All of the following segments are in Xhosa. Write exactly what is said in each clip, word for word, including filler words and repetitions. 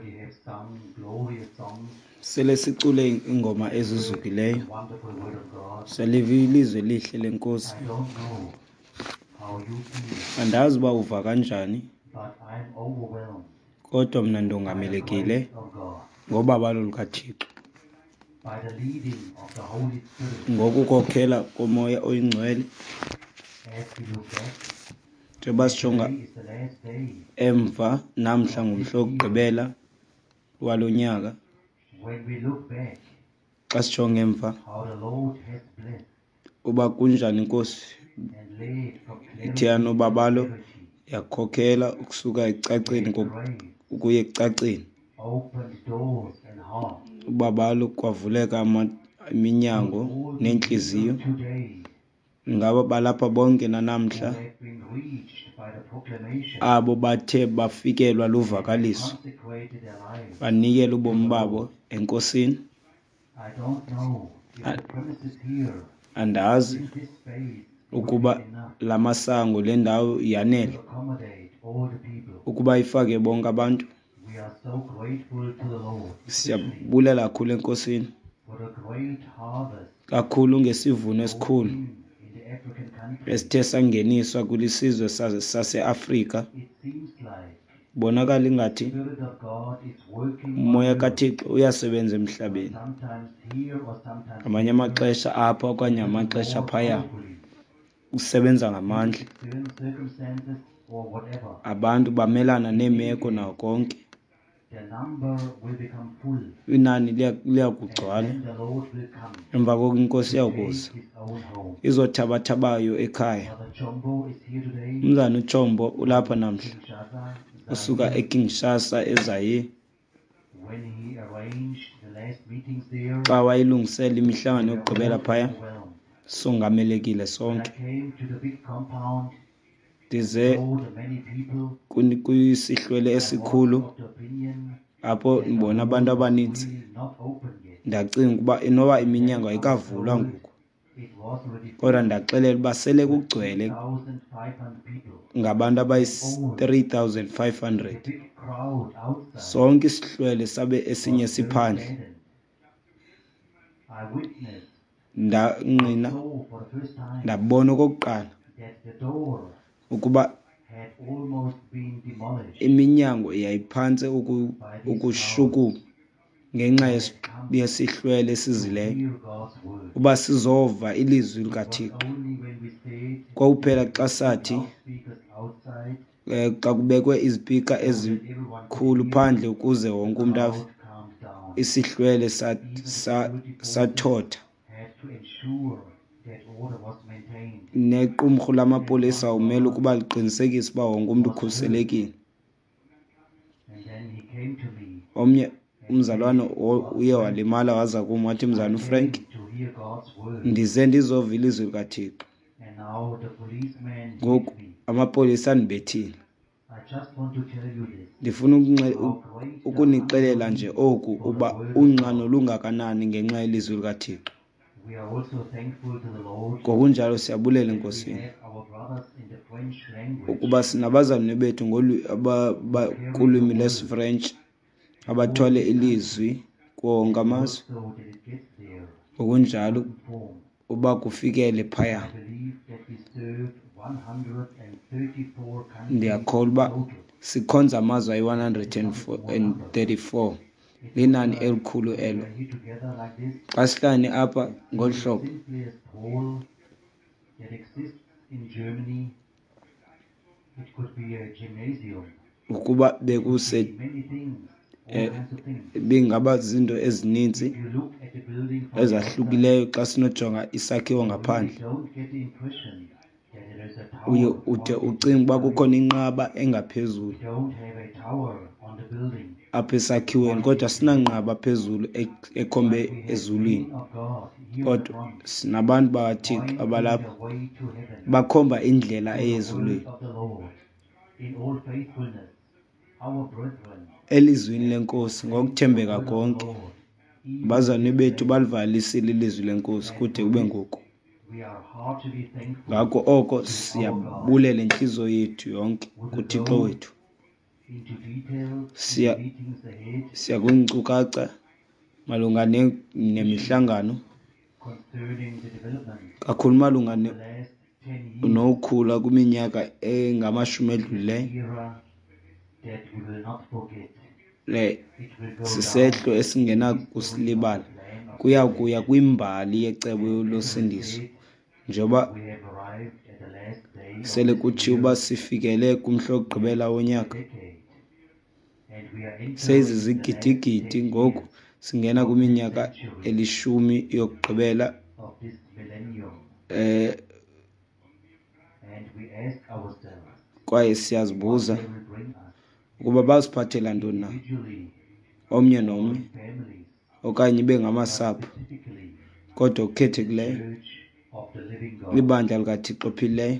already have sung glorious songs, Sele sicule iingoma heard ezizukileyo, the wonderful word of God. saliva ilizwi elihle lenkosi. I don't know how you feel, Andazi uba uva kanjani, but I'm overwhelmed kodwa mna by the ndongamelekile grace of God, ngobabalo lukaThixo, by the leading of the Holy Spirit. Ngokukhokhela koMoya oyiNgcwele. As we look back, Njengoba sijonga today is the last day emva, namhla ngumhla wokugqibela walo nyaka. When we look back, Xa sijonga emva, how the Lord has blessed uba kunjani inkosi and led from ithe clarity to yanobabalo, clarity, yakhokhela ukusuka ekucaceni gave ko- grace, ukuya ekucaceni, opened doors and hearts. Ubabalo kwavuleka ama- iminyango Would all be neentliziyo. here today Ingaba balapha bonke who nanamhla have been reached by the proclamation abo bathe bafikelwa and luvakaliso, consecrated their lives banikela to ubomi the babo Lord? enkosini? I don't know if A- the premises here Andazi in this space would be ukuba enough la masango, le ndawo to yanele accommodate all the people. ukuba ifake bonke abantu. We are so grateful to the Lord, especially Siyabulela kakhulu enkosini, for the great harvest kakhulu ngesivuno brought esikhulu in in the African countries. esithe sangeniswa kwisizwe saseAfrika. It seems like Kubonakala the ingathi Spirit of God is working on uMoya earth, kaThixo uyasebenza emhlabeni, sometimes here or sometimes ngamanye there, amaxesha apha okanye little amaxesha more phaya, powerfully usebenza due to ngamandla. external circumstances or whatever. Abantu bamelana In any neemeko case, nawo konke. the number will become full, Inani liya- and liyakugcwala, then the Lord will come emva koko inkosi to take iyakuza his own home. izothabathabayo ekhaya. Brother Chombo is here today Umzana uTshombo ulapha from namhla, Kinshasa, usuka Zaire. eKinshasa, eZaire. When he arranged the last meetings there, Xa wayilungisela we imihlangano were yokugqibela all phaya, overwhelmed. songamelekile When I sonke. came to the big compound and Ndize saw the many people, kuni- kwisihlwele I was esikhulu of the opinion apho that the ndibona hall abantu was abaninzi, really not open yet. ndacinga ukuba inoba And iminyango then I was ayikavulwa told ngoku, it was already kodwa full ndaxelela uba sele with kugcwele three thousand five hundred people. ngabantu And all abayi-three thousand five hundred. the big crowd outside Sonke isihlwele sabe esinye was very siphandle. saddened. I witnessed or Ndangqina, saw for the first time ndabona okokuqala that the door ukuba had almost been demolished iminyango yayiphantse uku- by these ukushukuma crowds ngenxa who had yesi- come yesihlwele to esizileyo hear God's word. uba sizova ilizwi It was likaThixo. only when we said Kwakuphela that xa we put sathi loudspeakers outside um xa kubekwe izipika so that everyone could ezikhulu hear, phandle ukuze the wonke umntu ave, crowd calmed down. isihlwele sa- Even sa- security forces sathotha. had to ensure that order was maintained. Nequmrhu And lamapolisa one umele brother ukuba liqinisekise uba wonke umntu was hurt. ukhuselekile. And then he came to me Omnye and umzalwane said, wo- "Brother uye Frank, walimala, waza kum wathi, I "Mzalwana uFrank, came to hear God's word, ndize ndizova ilizwi likaThixo, and now the policeman hit ngoku me. amapolisa andibethile. I just want to tell you this, Ndifuna ukunxe- how u- great the ukunixelela hunger nje is oku, for the uba word of unxano God." lungakanani ngenxa yelizwi likaThixo." We are also thankful to the Lord Ngokunjalo siyabulela that we enkosini have our brothers in the French language ukuba sinabazalwane bethu ngolwi- aba- who ba- carry the kulwimi word lwesiFrentshi in all abathwale these countries ilizwi kuwo wonke and amazwe, work so that it gets there in ngokunjalo certain form. uba kufikele I phaya. believe that we serve one hundred thirty-four countries Ndiyakholwa uba total. sikhonza amazwe It's ayi-one hundred not a small number. and thirty-four. It's not Linani like elikhulu when we elo. are here together like this Xa sihlangene apha and ngolu see the hlobo, simplest hall that exists in Germany, it could be a gymnasium, ukuba it could bekuse be many things, all eh, kinds of things. bingaba zinto ezininzi If you look at the building from the outside, ezahlukileyo, xa sinojonga isakhiwo you really ngaphandle, don't get the impression that there is a uye tower ude pointing to ucinge the uba sky. kukhona inqaba engaphezulu We don't have a tower on the building apha esakhiweni, kodwa pointing to heaven. sinanqaba phezulu ek- ekhombe But we have ezulwini, men of God here in the kodwa front sinabantu bakaThixo pointing abalapha the way to heaven bakhomba indlela through the word eyezulwini of the Lord. In all faithfulness, our brethren elizwini have lenkosi proclaimed the ngokuthembeka word of the konke. Lord even to Abazalwane this bethu day. balivalisile ilizwi lenkosi And kude for kube this, ngoku. we are heartily thankful Ngako oko to our God. siyabulela intliziyo yethu yonke With kuThixo those wethu. into details in Siya- the meetings ahead Siya kwiinkcukacha malunga ne- nemihlangano concerning the development kakhulu malunga of ne- the last ten years nokukhula kwiminyaka engamashumi edlulileyo. era that we will not forget. Le It will go sisehlo down esingenakusilibala, kuya kuya kwimbali yecebo losindiso. Njengoba We have arrived at the last day of sele this kutshiwo year, uba sifikele kumhla wokugqibela wonyaka, decade, and we are entering seyizizigidigidi the last ten ngoku years singena kwiminyaka elishumi yokugqibela of this millennium, eh and we ask ourselves kwaye what siyazibuza they will bring us ukuba baziphathela ntoni na individually omnye or nomnye in families, okanye ibe but ngamasapho, specifically kodwa okukhethekileyo Church of the Living God. libandla likaThixo ophilileyo.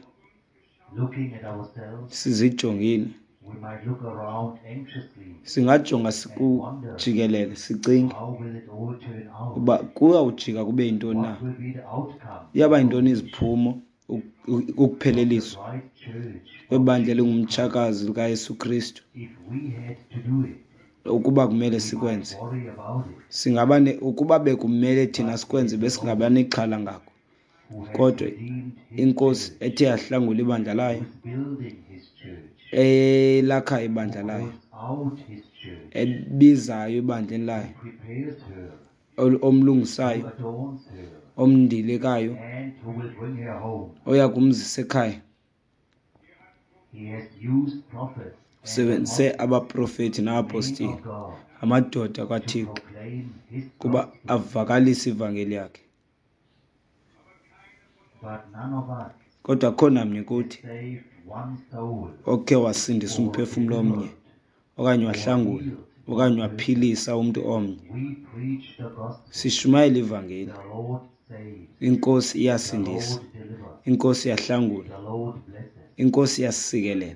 Looking at ourselves, Sizijongile, we might look around anxiously. singajonga sikujikelele sicinge How will it all turn out? uba kuyawujika kube yintoni na, What will be the outcome iyaba yintoni iziphumo uk- ukupheleliswa of the right church kwebandla elingumtshakazi likaYesu Kristu. if we had to do it? Ukuba kumele We might sikwenze, worry about it. singaba ne, ukuba bekumele thina sikwenze besingaba nexhala ngako. Who has Kodwa redeemed his inkosi church, ethe yahlangula ibandla layo, who is building his church, elakha ibandla who layo, calls out his church, ebizayo ebandleni layo, who prepares her, ol- who omlungisayo, adorns her, omndilekayo, and who will bring her home. oya kumzisa ekhaya. He has used prophets and Usebenzise apostles, abaprofeti men nabaapostile, of God, amadoda to kaThixo, proclaim his kuba gospel. avakalise ivangeli yakhe. But none of us Kodwa akukho namnye kuthi saved one soul okhe wasindisa or umphefumlo omnye, delivered okanye or wahlangula, healed okanye one person. waphilisa umntu omnye. We preach the gospel. Sishumayela ivangeli. The Lord saves. Inkosi The iyasindisa, Lord delivers. inkosi iyahlangula, The Lord blesses. inkosi iyasikelela.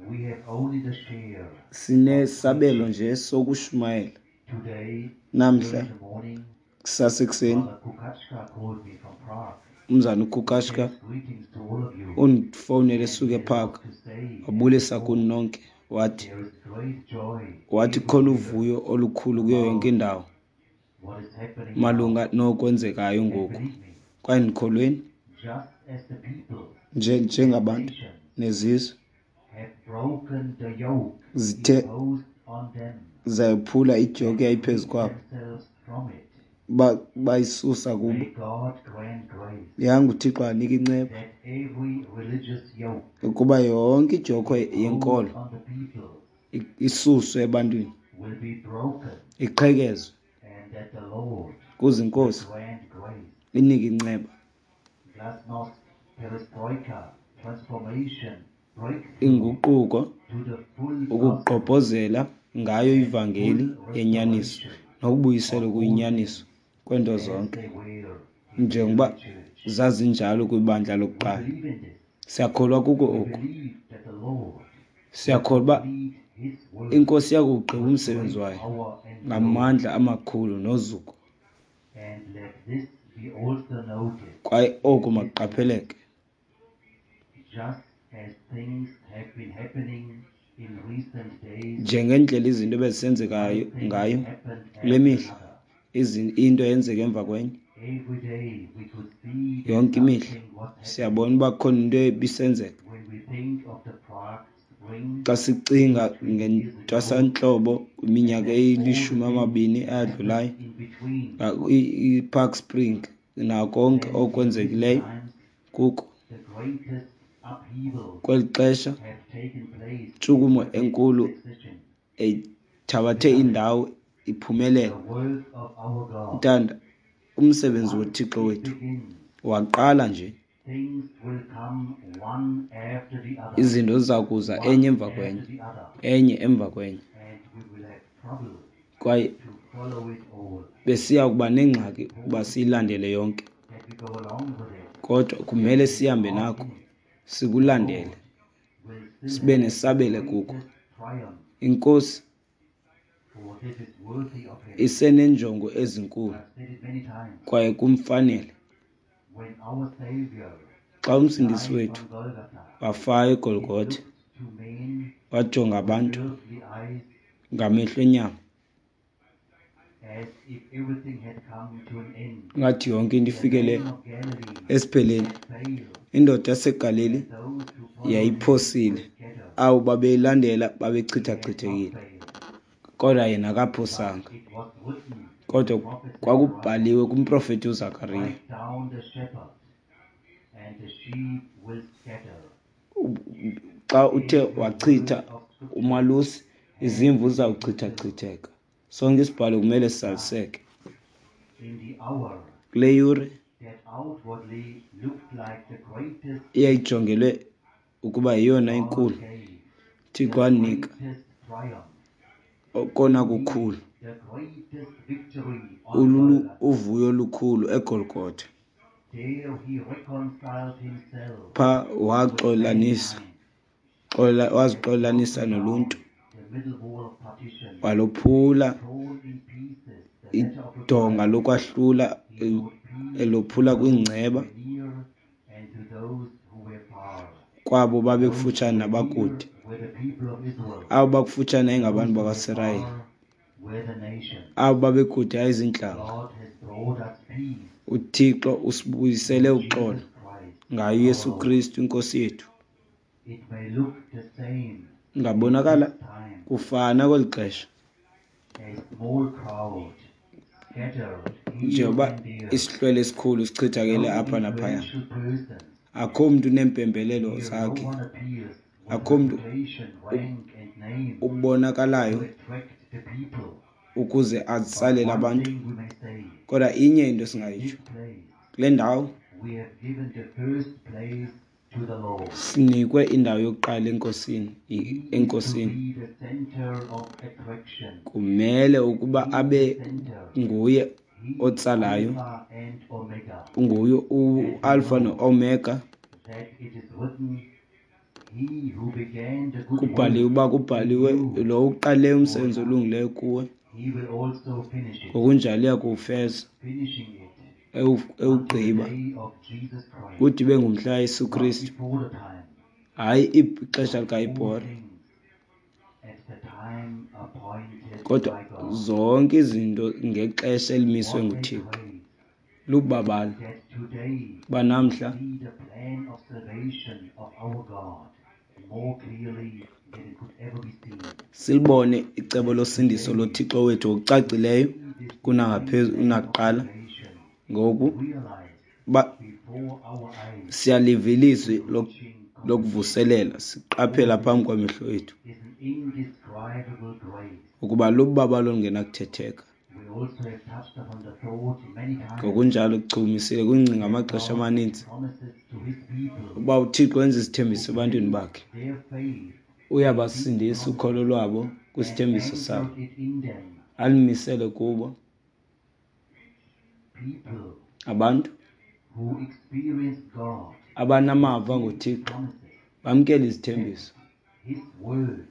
We have only the share Sinesabelo nje sokushumayela. today. Namhla Early in the morning, kusasa ekuseni, Father Kukachka called me from Prague. umzana uKukashka Sends greetings to all of you. undifowunele And esuka he had a ePark, lot to say and wabulisa report. kuni nonke, wathi There is great joy wathi khona everywhere uvuyo olukhulu kuyo yonke about indawo what is happening malunga now. nokwenzekayo And ngoku. believe me, Kwaye ndikholweni just as the people nje and njengabantu nations nezizwe have broken the yoke zithe imposed on them zayophula idyoki and eyayiphezu freed kwabo, themselves from it, ba- bayisusa kubo. may God grant grace Yanga uThixo anike inceba that every religious yoke ukuba yonke idyokhwe imposed yenkolo on the people i- isuswe ebantwini, will be broken, iqhekezwe, and that the Lord kuze will inkosi grant grace. inike inceba. Glasnost, perestroika, transformation, breakthrough Inguquko, to the full gospel ukugqobhozela ngayo and ivangeli full yenyaniso restoration nokubuyiselwa of all kuyinyaniso things kwento as zonke they were in the njengoba early church. zazinjalo kwibandla We lokuqala. believe in this. Siyakholwa kuko We oku. believe that the Lord will Siyakholwa uba complete his work inkosi iyakuwugqiba with umsebenzi great wayo power and glory. ngamandla amakhulu nozuko. And let this be also noted Kwaye oku in this makuqapheleke. just as things have been happening in recent days, Njengendlela izinto ebezisenzekayo one thing ngayo happened kule after mihla, another. izi- into yenzeka emva kwenye. Every day we could see that Yonke imihla something was happening. siyabona uba kukhona into ebisenzeka. When we think of the Prague Spring Xa sicinga twenty-three years ago, ngentwasantlobo kwiminyaka and all the eyilishumi things amabini that eyadlulayo, happened in between, nga- i- iPark Spring nako konke then in recent okwenzekileyo times, kuko the greatest upheavals kweli xesha, have taken place in intshukumo rapid enkulu succession. ethabathe Beloved, indawo iphumelela. the work of our God, Ntanda, umsebenzi once woThixo it wethu begins, waqala nje, things will come one after the other, izinto ziza kuza one enye emva after kwenye, the other, enye emva kwenye, and we will have trouble kwaye to follow it all. besiya kuba nengxaki ukuba siyilandele yonke. That we go along with it Kodwa kumele and take sihambe part nako, in it. The sikulandele, Lord will still sibe have the nesabelo kuko. greatest triumph, Inkosi for this is worthy of him. iseneenjongo ezinkulu I've said it many times. kwaye kumfanele. When our Savior Xa umsindisi died wethu on Golgotha, wafayo it eGolgotha, looked to men Wajonga with abantu earthly eyes, ngamehlo enyama, as if everything had come to an end. Ngathi yonke into The ifikele man of Galilee esipheleni. had failed, Indoda yaseGalili and those who followed him yayiphosile, were scattered. abo babeyilandela He had not babechithachithekile, failed, kodwa yena but akaphosanga. it was written in the Kodwa prophet Zechariah, kwakubhaliwe kumprofeti uZakariya, strike down the shepherd, and the sheep will scatter. xa uthe Every wachitha word of scripture umalusi, has izimvu to be fulfilled. zizawuchithachitheka. Sonke isibhalo kumele sizaliseke. In the hour Kule yure that outwardly looked like the greatest eyayijongelwe ukuba yeyona God inkulu, gave Thixo the wanika greatest triumph, okona indeed, kukhulu, the greatest victory on ululu Golgotha. uvuyo olukhulu eGolgotha. There he reconciled himself Pha with waxolanisa, mankind, xola had wazixolanisa broken down noluntu, the middle wall of partition, walophula torn in pieces the letter of idonga requirement. lokwahlula, He brought peace to elophula those who kwiingceba were near and to those who were far. kwabo Those who babekufutshane were near nabakude. were the people of Israel. Abo bakufutshane yayingabantu Those who were bakwaSirayeli, far were the nations. abo babekude yayiziintlanga. God has brought us peace UThixo usibuyisele through uxolo Jesus Christ ngayo our uYesu Lord. Kristu inkosi yethu. It may look the same in Ngabonakala this time, kufana kweli xesha, a small crowd scattered here njengoba and there, isihlwele esikhulu sichithakele no apha naphaya. influential persons. Akho mntu uneempembelelo Here no zakhe, one appears with akho mntu reputation, rank, and name to ubonakalayo attract the people. ukuze But atsalele one abantu. thing we may say, Kodwa inye into in esingayitsho, this place kule ndawo we have given the first place to the Lord. sinikwe indawo yokuqala enkosini, i- He is to enkosini. be the center of attraction. Kumele ukuba He is abe the center. nguye He is otsalayo, Alpha and Omega. unguye And we uAlpha know noOmega. that it is written, He who began the good Kubhaliwe work uba in kubhaliwe you, lo uqalileyo umsebenzi Lord, olungileyo kuwe, he will also finish it, ngokunjalo uya kuwufeza, finishing it ewu- unto the ewugqiba day of Jesus Christ, kude ibe ngumhla kaYesu not Kristu, before the time, hayi ixesha but all likaIbhora, things at the time appointed kodwa by God. zonke izinto ngexesha elimiswe What a nguThixo. grace Lubabalo that today uba namhla see the plan of salvation of our God more clearly than it could ever be seen. silibone icebo That losindiso today loThixo wethu ngokucacileyo see this divine kunangaphezu plan of kunakuqala. salvation Ngoku realized uba before our eyes siyaliva ilizwi to lok- reaching completion. lokuvuselela, siqaphela All phambi this kwamehlo ethu is an indescribable grace. ukuba lubabalo olungenakuthetheka. We also have touched upon the thought many times Ngokunjalo kuchumisile kwingcinga that amaxesha God amaninzi promises to his people uba uThixo wenza who izithembiso ebantwini place bakhe, their faith in his uyabasindisa promises ukholo lwabo and kwisithembiso sabo, anchored it in them. alimisele kubo. People Abantu who experience God abanamava receive ngoThixo promises, bamkele kept izithembiso, his word,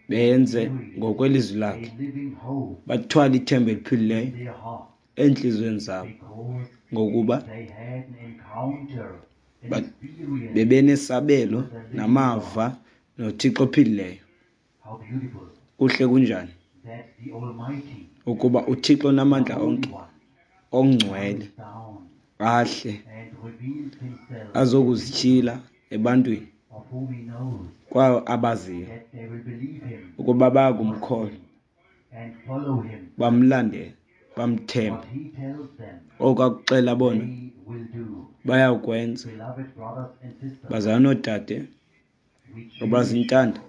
benze carried ngokwelizwi a lakhe, living hope bathwale ithemba in eliphilileyo their hearts entliziyweni zabo, because ngokuba they had an encounter, an ba- experience bebenesabelo with the living God. namava noThixo ophilileyo. How beautiful Kuhle kunjani that the Almighty, ukuba uThixo the onamandla Holy onke, One, ongcwele, comes down ahle and reveals himself to people azokuzityhila ebantwini of whom he knows kwayo abaziyo that they will believe him, ukuba trust bayakumkholwa, him, and follow him. bamlandele, bamthembe. What he tells them, Oko akuxela bona they will do. bayawukwenza. Beloved brothers and sisters, Bazalwana noodade we cherish abazintanda,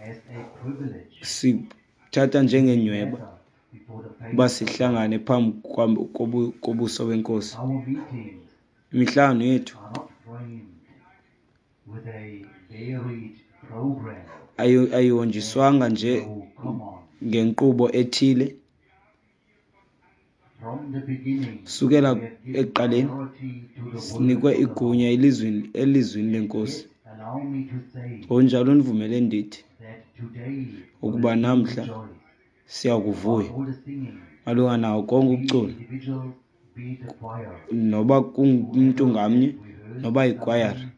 as a privilege sithatha to be njengenyhweba gathered before the uba face of God. sihlangane phambi kwam- kobu- kobuso benkosi. Our meetings Imihlangano yethu are not framed with a varied program ayi- that ayihonjiswanga nje so common. ngenkqubo ethile. From the beginning, Sukela we have given ekuqaleni priority to the word sinikwe of the igunya Lord. elizwini elizwini lenkosi. Yet, allow me to say Ngokunjalo ndivumele ndithi that today we ukuba will still namhla rejoice siya about kuvuya all the singing, malunga nawo konke be it ukucula, individuals, be it the choir, noba kungumntu whoever ngamnye has rehearsed noba yikwayara, something,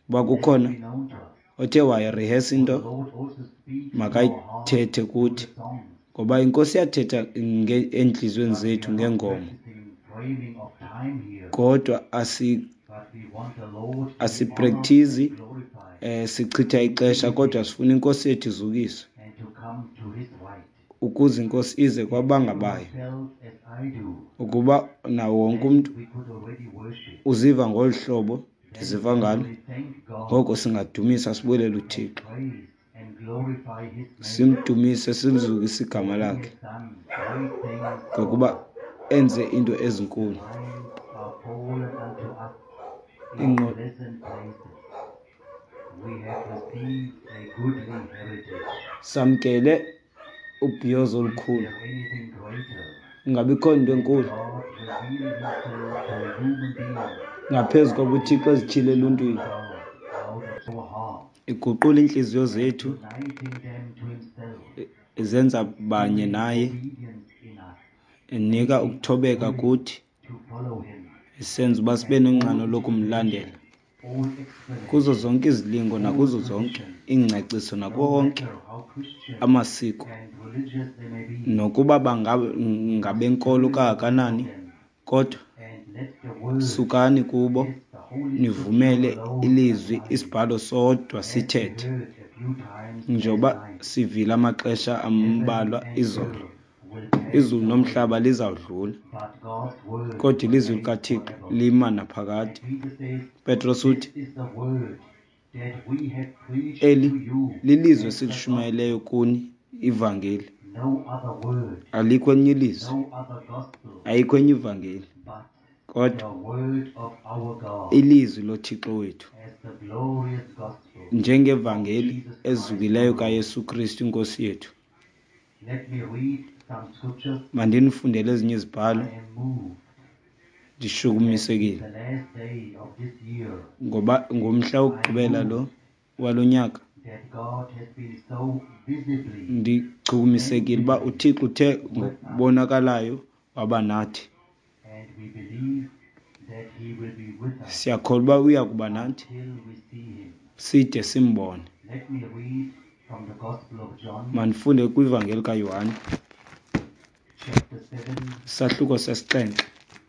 uba let it kukhona be known to us. Othe wayirihesa For the into Lord also speaks to our hearts makayithethe through kuthi, the songs. ngoba iNkosi iyathetha nge- entliziyweni But we zethu are not ngeengoma. practicing framing of time here, Kodwa asi but we want the Lord to be honored asiprekthizi and glorified eh sichitha ixesha, kodwa sifuna iNkosi yethu izukiswe and to come to his right. ukuze iNkosi ize If everyone kwabangabayo. felt as I do, Ukuba nawo wonke then umntu we could already worship. uziva ngolu hlobo Then ndiziva we ngalo, will thank God ngoko singadumisa sibulele and uThixo, praise and glorify his name. simdumise simzukise igama For he lakhe, has done great things for ngokuba us. enze into ezinkulu. Lines are fallen unto us in Ingqo pleasant places. We have received a goodly heritage. Samkele ubhiyozo Is olukhulu. there anything greater Ingabikho nto than enkulu God revealing himself to a human being ngaphezu koba uThixo ezityhile and eluntwini, God out of our heart iguqula iintliziyo and zethu, uniting them to himself, izenza banye doing naye, obedience in us, enika making us ukuthobeka willing kuthi, to follow him. isenza uba sibe And all nonxano lokumlandela. tribulation, all Kuzo explanation, zonke izilingo all nakuzo zonke traditions, iingcaciso no nakuwo wonke matter how Christian amasiko, and religious they may be, nokuba banga- we must ngabenkolo turn away from kangakanani, them kodwa and let the word, sukani kubo, yes, the Holy Scripture nivumele alone ilizwi apply, isibhalo sodwa as we sithethe. heard a few times last Njengoba night. sivile amaxesha Heaven ambalwa and izolo, earth will pass izulu away, nomhlaba lizawudlula, but God's word kodwa ilizwi remains likaThixo forever. lima And naphakade. Peter says, Petros This uthi, is the word that we have preached eli to you lilizwi as the gospel. esilishumayeleyo kuni, ivangeli. No other word, Alikho elinye ilizwi, no other gospel, ayikho enye ivangeli, but kodwa the word of our God ilizwi loThixo wethu, as the glorious gospel of njengevangeli Jesus Christ ezukileyo our Lord. kaYesu Kristu iNkosi yethu. Let me read some scriptures. Mandinifundele ezinye izibhalo. I am moved that it's Ndishukumisekile the last day of this year. ngoba ngomhla I am wokugqibela lo moved walo nyaka. that God has been so visibly, Ndichukumisekile uba tangibly uThixo uthe with us, ngokubonakalayo waba nathi. and we believe that He will be with us Siyakholwa uba uya kuba nathi until we see Him. side simbone. Let me read from the Gospel of John, Mandifunde kwivangeli kaYohane, chapter seven, isahluko sesixhenxe,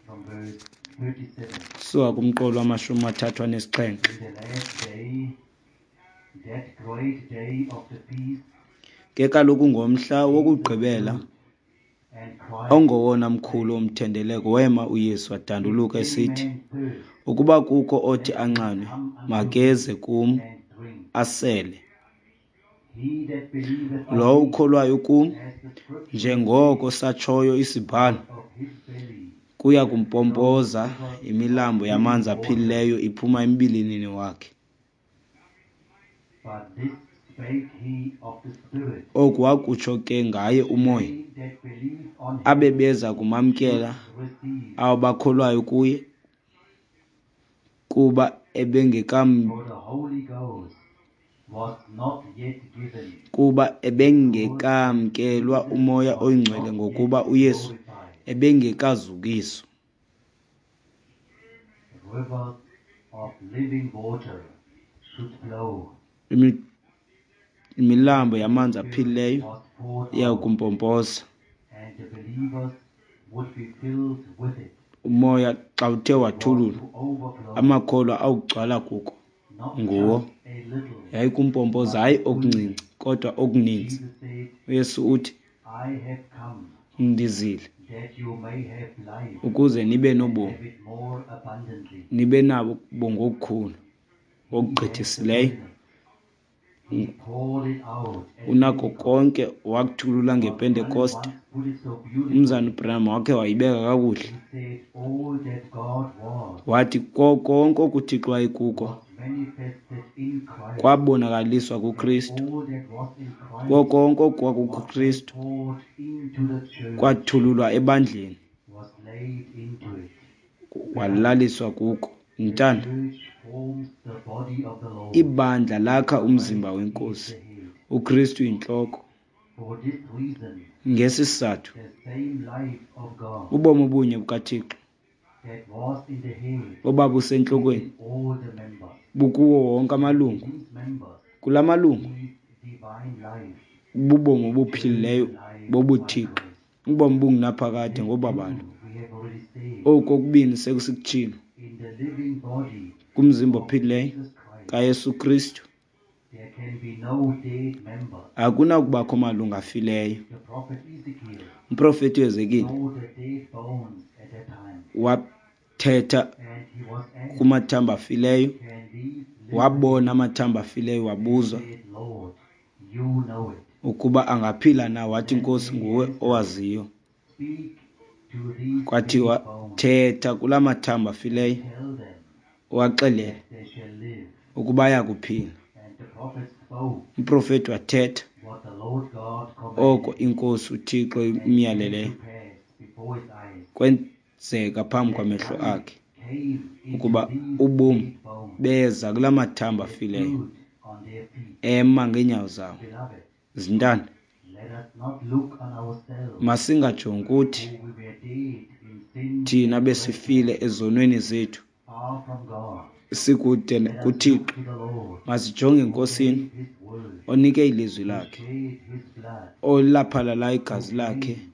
from verse thirty-seven. suka kumqolo wamashumi amathathu anesixhenxe. In the last day, that great day of the feast, Ke kaloku ngomhla Jesus wokugqibela, stood and cried, ongowona mkhulu saying, womthendeleko, wema uYesu If wadanduluka any esithi, man thirst, ukuba kukho othi let him anxanwe, come unto me makeze kum and drink. asele. He that believeth on Lowo me, ukholwayo kum, as the scripture hath njengoko said, satshoyo isibhalo, out of his belly kuya shall flow kumpompoza rivers of imilambo living yamanzi water. aphilileyo iphuma embilinini wakhe. But this spake he of the Spirit, Oku wakutsho ke ngaye which uMoya, they that believe on him abebeza kumamkela should receive. abo bakholwayo kuye, kuba ebengekam For the Holy Ghost was not yet given, kuba because ebengekamkelwa Jesus uMoya was oyiNgcwele, not yet ngokuba uYesu glorified. ebengekazukiswa. Rivers of living water should flow. Imi- Imilambo When the yamanzi Spirit aphilileyo was poured iya out, kumpompoza. and the believers would be filled with it. Umoya xa uthe It was wathululwa, to overflow, amakholwa awugcwala kuko not nguwo. just a little, Yayikumpompoza but hayi okuncinci fullness. kodwa okuninzi. Jesus said, uYesu uthi, I have come ndizile that you may have life ukuze nibe and nobomi, have it more abundantly. nibe nabo ngokukhulu, He has the ngokugqithisileyo. fullness. He poured it out at Unako Pentecost. konke wakuthulula But Branham ngePentekoste. once put it so Umzana beautifully. uBranham wakhe wayibeka kakuhle, He said, All that God was wathi ko konke okuThixo wayekuko was manifested in Christ, kwabonakaliswa and kuKristu. all that was in Ko Christ konke was okwakukuKristu poured into the church, kwathululwa ebandleni, was laid into it. Beloved, walaliswa kuko. the Mntana, church forms the body of the Lord, ibandla lakha and umzimba Christ is weNkosi, the head. uKristu yintloko. For this reason, Ngesi sizathu, the same life of God ubomi obunye bukaThixo that was in the head is obabusentlokweni in all the members. bukuwo wonke And amalungu in these members Kula malungu is divine life, bubomi obuphilileyo life by bobuthixo, grace. ubomi bungunaphakade This ngobabalo. too we have already said. Oku kokubini sekusikutshilo. In the living body Kumzimba of ophilileyo Jesus Christ, kaYesu Kristu there can be no dead member. akunakubakho malungu afileyo. The prophet Ezekiel Umprofeti uEzekile saw the dead bones at that time, wathetha and he was asked, kumathambo afileyo, "Can these live wabona again?" amathambo afileyo, And he wabuzwa said, "Lord, you know it." ukuba angaphila na. Wathi, Then Nkosi, came the nguwe answer, owaziyo. "Speak to these dead Kwathiwa, bones thetha kula mathambo and afileyo, tell them uwaxelele that they shall live." ukuba ayakuphila. And the prophet spoke Umprofeti wathetha what the Lord God oko commanded, iNkosi uThixo and it came imyaleleyo. to pass before his eyes Kwenzeka phambi that kwamehlo life akhe came into ukuba these ubomi dead bones beza kula mathambo and they afileyo, stood on their feet. ema ngeenyawo zawo. Beloved, Zintanda, let us not look on ourselves, masingajongi kuthi who we were dead in sins thina and besifile trespass, ezonweni zethu, far from God. sikude Let us look kuThixo. to the Lord, Masijonge who eNkosini gave his word, onike ilizwi who lakhe, shed his blood, olaphalala who igazi lakhe, came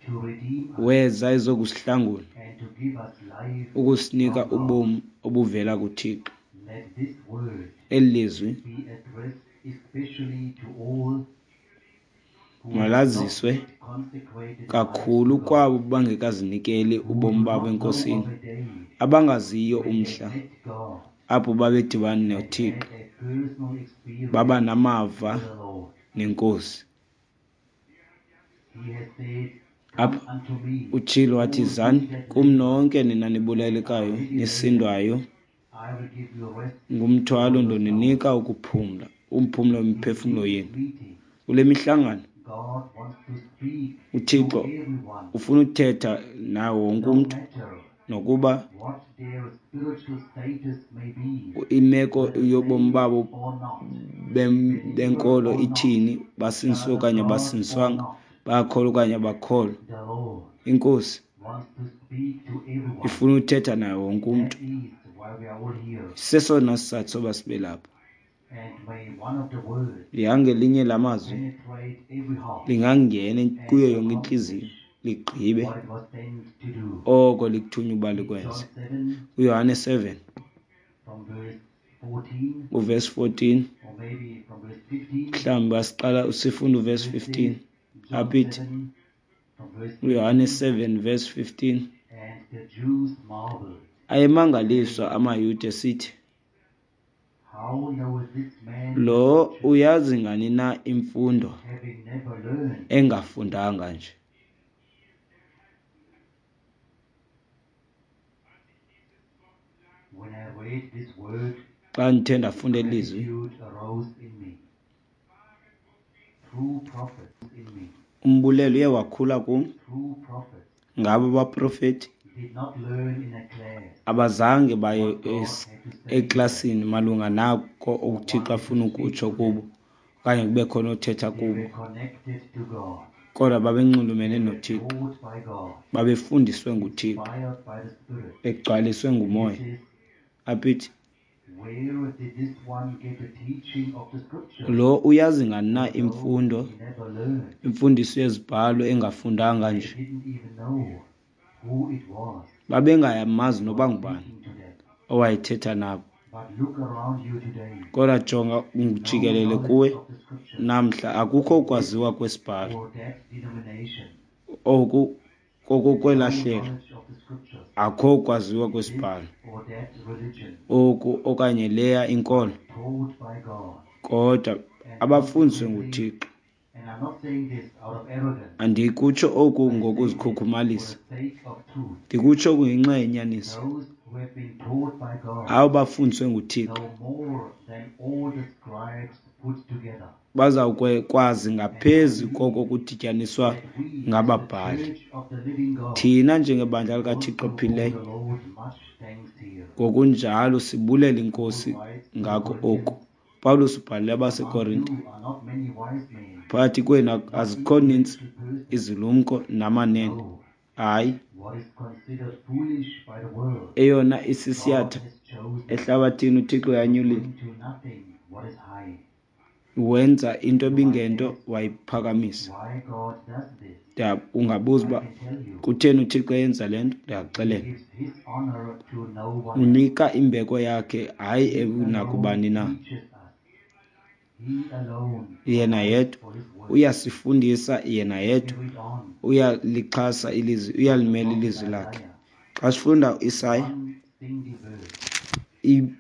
to redeem us weza ezokusihlangula, and to give us life ukusinika from God. ubomi obuvela kuThixo. Let this word Eli lizwi be addressed especially to all who have not malaziswe yet consecrated their lives kakhulu to God, kwabo bangekazinikeli who ubomi do babo not know eNkosini, of a day abangaziyo when they umhla met God apho babedibana and noThixo, had a personal baba experience namava with the Lord. neNkosi. He has said, Come Apha unto me, utshilo wathi, all ye Zani that kum labor nonke nina and are nibulelekayo heavy laden, nisindwayo I will give you rest ngumthwalo, for your souls. ndoninika ukuphumla, umphumlo In wemiphefumlo this yenu. meeting, Kule mihlangano God wants to speak to uThixo everyone, ufuna uthetha nawo wonke no umntu, matter nokuba what their spiritual status may be, imeko whether yobomi saved babo or not, bem- believer benkolo or not, ithini, basindiswe child of okanye God or abasindiswanga, not. bayakholwa okanye abakholwa. The Lord INkosi wants to speak to everyone. ifuna uthetha naye wonke umntu. That is why we are all here. Sesona sizathu soba sibe lapha. And may one of the words Lingangelinye lamazwi penetrate every heart lingangena and kuyo yonke intliziyo, accomplish ligqibe what it was sent to do. oko likuthunywa uba In likwenze. John seven, UYohane seven from verse fourteen, uvesi fourteen, or maybe from verse fifteen, mhlawumbi asiqala sifunda uvesi it fifteen. says, John Apha ithi seven, from verse uYohane fifteen, seven verse fifteen, and the Jews marveled, ayemangaliswa saying, amaYuda esithi, How knoweth this man the lo scriptures, uyazi ngani na imfundo having never learned? engafundanga nje? When I read this word, Xa ndithe ndafunda eli lizwi, gratitude arose in me. True prophets in me, umbulelo uye wakhula kum. true prophets Ngabo baprofeti did not learn in a class abazange baye what God es- had to say to them eklasini malunga nako or uThixo wanted to afuna speak ukutsho to kubo them. okanye kube khona othetha They kubo, were connected to God. kodwa babenxulumene They were noThixo, taught by God, babefundiswe nguThixo, inspired by the Spirit. begcwaliswe And it nguMoya. says, Apha ithi, Where did this one get the teaching of the scriptures? lo uyazi ngani na Although imfundo, he never learned. imfundiso yezibhalo engafundanga They nje? didn't even know who it was Babengayamazi that noba was ngubani speaking to them. owayethetha nabo. But look around you today. Kodwa jonga No jikelele knowledge kuwe of the scriptures namhla, akukho in this ukwaziwa kwesibhalo or that denomination. oku No kokokwelahlelo, knowledge of the scriptures akukho ukwaziwa in this kwesibhalo or that religion. oku okanye leya inkolo, But taught by God. kodwa And abafundiswe consequently, nguThixo. and I'm not saying this out of arrogance, Andikutsho oku I say this for ngokuzikhukhumalisa, the sake of truth. ndikutsho oku ngenxa yenyaniso. Those who have been taught by God Abo bafundiswe nguThixo know more than all the scribes put together. bazawukwazi And I ngaphezu koko believe kudityaniswa that we, as the ngababhali. church of the living God, Thina njengebandla likaThixo also owe ophilileyo, the Lord much thanks here. ngokunjalo sibulela Paul iNkosi writes to the ngako oku. Corinthians, Pawulos ubhalele Among abaseKorinte, you are not many wise men, phakathi kwenu not azikho nintsi intellectual persons. izilumko namanene. No, Hayi, what is considered foolish by the world, eyona God isisiyatha has chosen ehlabathini uThixo to yanyulile bring to nothing what is high. Wenza into You might ebingento ask wayiphakamisa. why God does this. Ndiya- Ungabuza I uba can tell you, kutheni uThixo eyenza le nto, He ndiyakuxelela. gives His honor to no one else. Unika imbeko yakhe hayi He alone nakubani na. teaches us. He alone Yena provides yedwa for His word. uyasifundisa, yena We yedwa read on uyalixhasa ilizwi, from the uyalimela prophet ilizwi lakhe. Isaiah, Xa sifunda uIsaya one single verse, i- but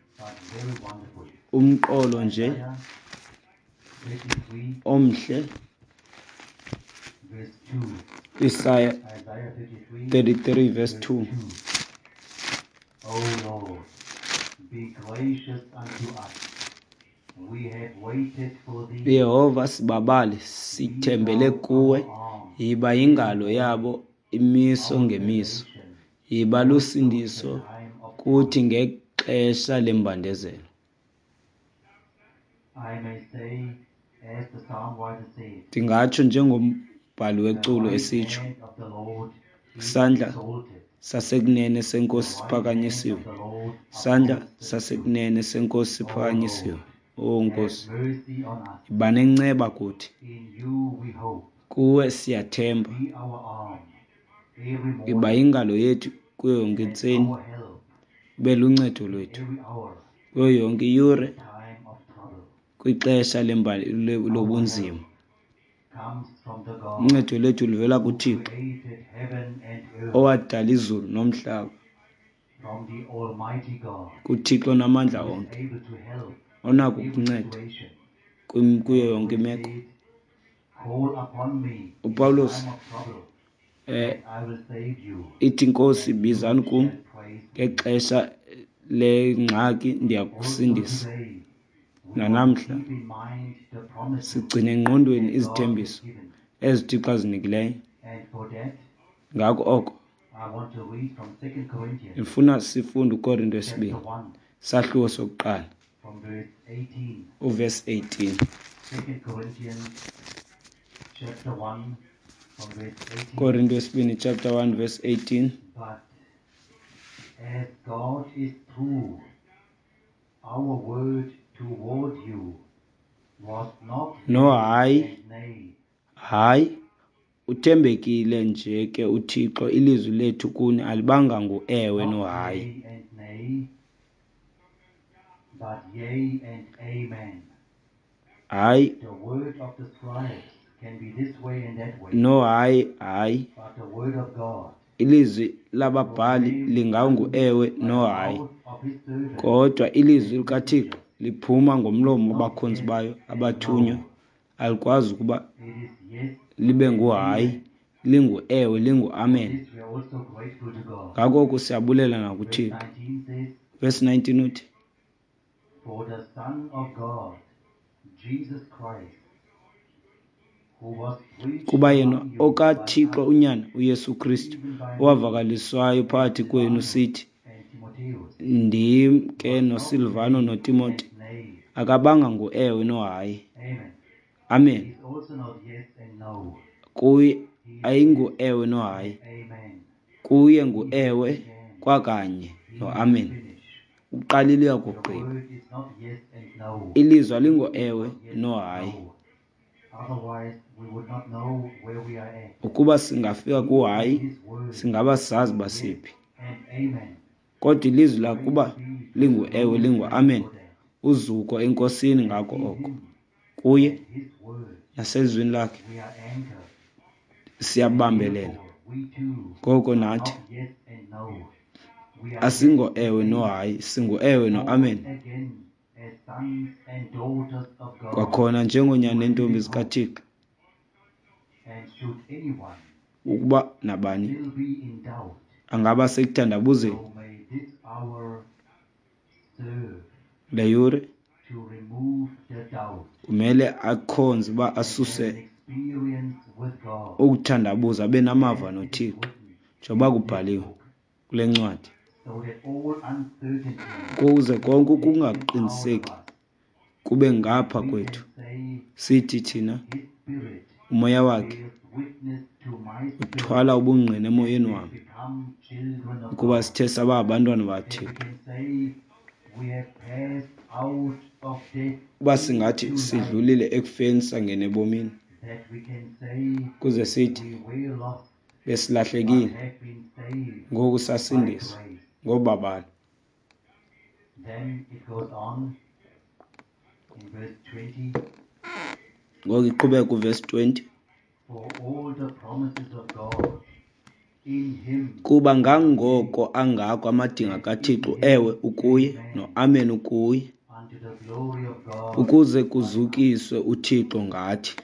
very wonderful. umqolo nje Isaiah thirty-three, omhle, verse two. Isaya Isaiah thirty-three, thirty-three verse verse two. two. O Lord, be gracious unto us. We have waited for thee. Yehova, sibabale, Be sithembele thou kuwe. our arm Yiba every yingalo morning, yabo imiso our ngemiso. salvation Yiba also in the lusindiso time of kuthi trouble. ngexesha lembandezelo. I may say, as the psalm writer said, Ndingatsho njengombhali the weculo right esitsho, hand of the Lord is isandla exalted, sasekunene the senkosi right hand siphakanyisiwe. of the Lord Isandla upholds the truth. sasekunene senkosi O siphakanyisiwe. Lord, O have Nkosi, mercy on us. yiba nenceba kuthi. In you we hope. Kuwe siyathemba. Be our arm every Yiba morning yingalo yethu kuyo yonke and intseni, our help ube luncedo in lwethu every hour kuyo yonke in iyure the time of trouble. kwixesha lembali le- Our lobunzima. help comes from the God Uncedo lwethu luvela who kuThixo created heaven and earth, owadala izulu nomhlaba, from the Almighty God kuThixo namandla who is onke, able to help onako every ukunceda situation kwim- kuyo and yonke who imeko. said, Call upon me in the UPawulos time of trouble, eh and I will save you, ithi Nkosi, and you bizani kum shall praise me. ngexesha lengxaki, Also ndiyakusindisa. today, we must Nanamhla keep in mind the promises sigcine engqondweni that God has izithembiso given. ezi Thixo azinikileyo. And for that, Ngako oko I want to read from Second Corinthians ndifuna sifunde uKorinto chapter wesibini one, sahluko sokuqala from verse eighteen. uvesi eighteen. Second Corinthians chapter one, from verse eighteen. Korinto wesibini chapter one verse eighteen. But as God is true, our word toward you was not No yea hayi, and nay. hayi, uthembekile nje ke uThixo, ilizwi lethu kuni alibanga nguewe Not nohayi. yea and nay, but yea and amen. Hayi The word of the scribes can be this way and that way, nohayi, hayi. but the word of God Ilizwi lababhali proclaimed linganguewe by the nohayi, mouth of his servants kodwa ilizwi and likaThixo messengers liphuma is ngomlomo not wabakhonzi yes bayo and abathunywa, no. alikwazi ukuba It is yes libe and nguhayi, amen. linguewe, For linguamen. this we are also grateful to God. Ngako oku siyabulela Verse nakuThixo. nineteen says, Verse nineteen uthi, For the Son of God, Jesus Christ, who was preached kuba yena among you by okaThixo us, uNyana uYesu Kristu even by me owavakaliswayo and phakathi kwenu Silvanus sithi, and Timotheus, ndim ke was not noSilvano yea noTimoti, and nay. akabanga nguewe nohayi. Amen. Amen. He is also not yes and no. Kuye He is yes ayinguewe nohayi, and amen. kuye He nguewe began, kwakanye he will noamen. finish. Uqalile The uyakugqiba. word is not yes and no. Ilizwi He is alingoewe not yes and nohayi. no. Otherwise, we would not know where we are at. Ukuba singafika He and kuhayi, his word singaba sazi is uba yes siphi. and amen. Kodwa ilizwi Praise lakuba be to the linguewe Lord's name linguamen, for that. uzuko eNkosini And ngako in oko. him Kuye and his word naselizwini lakhe we are anchored. And siyabambelela. therefore we too Ngoko are nathi not yes and no. We are yes and asingoewe amen. nohayi, singuewe Born noamen. again as sons and daughters of God Kwakhona njengoonyana to a neentombi living hope. zikaThixo, And should anyone ukuba nabani still be in doubt, angaba sekuthandabuzeni, so may this hour serve le yure to remove the doubt kumele akhonze uba and have asuse an experience with God ukuthandabuza, abe namava as it is noThixo written njengoba in this kubhaliwe book, kule ncwadi, so that all uncertainty kuze konke be taken out of ukungaqiniseki us kube and ngapha we kwethu, can say, sithi thina His Spirit umoya wakhe bears witness to my spirit uthwala ubungqina that emoyeni we wam become children of ukuba God. sithe saba ngabantwana And we bakaThixo. can say we have passed out of death Uba singathi into life, sidlulile ekufeni sangena ebomini, that we can say kuze sithi we were lost but besilahlekile, have been saved ngoku by sasindiswa grace. ngobabalo. Then it goes on in verse twenty, Ngoku iqhubeka kuvesi twenty. For all the promises of God in him Kuba ngangoko angako amadinga kaThixo, ewe ukuye noAmen ukuye, unto the glory of God ukuze by us. kuzukiswe uThixo ngathi.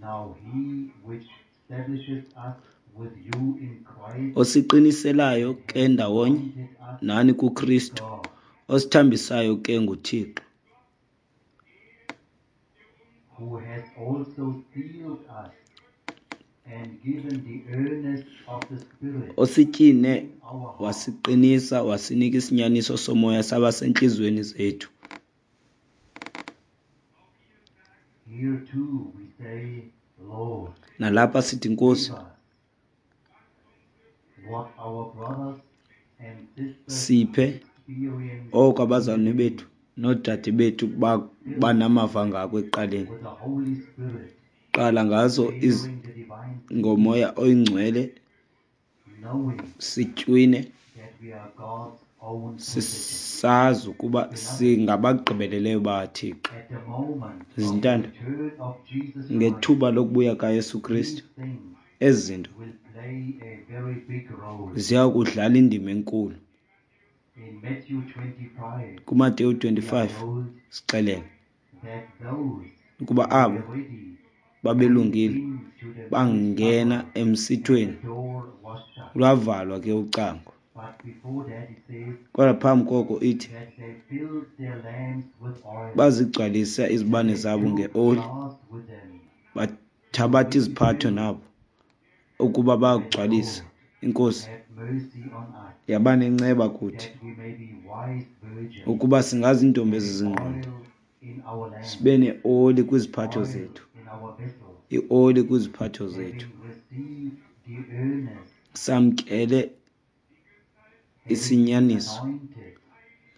Now he which establishes us with you in Christ Osiqiniselayo and ke hath ndawonye anointed us nani is kuKristu, God, osithambisayo ke nguThixo, who has also sealed us and given the earnest of the Spirit osityine in our hearts. wasiqinisa wasinika isinyaniso somoya saba sentliziyweni zethu. Here too we say, Lord, Nalapha sithi, Nkosi, give us what our brothers and sisters siphe experienced oko in the abazalwane bethu beginning noodade bethu ba- banamava ngako ekuqaleni. with the Holy Spirit, Qala ngazo iz bearing the divine seed, ngomoya oyingcwele knowing sitywine that we are God's own possession. sisazi ukuba Beloved, singabagqibeleleyo bakaThixo. at the moment of the Zintanda, return of Jesus Christ, ngethuba lokubuya kaYesu Kristu, these things ezi zinto will play a very big role. ziya kudlala indima enkulu. In Matthew twenty-five, KuMateyu we are twenty-five told sixelele that those ukuba who abo were ready went babelungile into the marriage bangena supper, and the emsithweni, door was shut. lwavalwa ke ucango. But before that, it says Kodwa phambi koko ithi that they filled their lamps with oil bazigcwalisa and izibane they zabo took ngeoli, jars with them to bathabatha iziphatho refill. nabo ukuba The bayakugcwalisa. Lord Inkosi have mercy on us, yaba nenceba kuthi that we may be wise virgins, ukuba singaziintombi having eziziingqondo, oil in our lamps, sibe neoli kwiziphatho oil zethu, in our vessels, ioli kwiziphatho zethu, having received the earnest, samkele having been isinyaniso, anointed with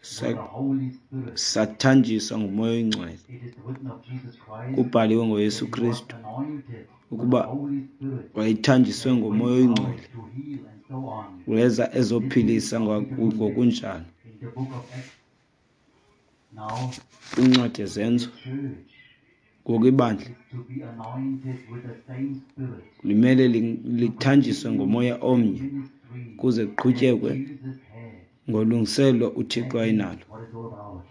sa- the Holy Spirit. sathanjiswa nguMoya oyiNgcwele. It is written of Jesus Christ Kubhaliwe ngoYesu that he was Kristu anointed with the ukuba Holy Spirit wayethanjiswe and ngoMoya went out oyiNgcwele, to heal and so on. weza This is ezophilisa a ngwa- beautiful text ngokunjalo. in the book of Acts. Now, Kwincwadi the yeZenzo, church ngoku ibandla is to be anointed with the same Spirit limele li- to lithanjiswe continue ngomoya the omnye ministry kuze that kuqhutyekwe Jesus had. ngolungiselelo uThixo That is ayenalo. what it's all about.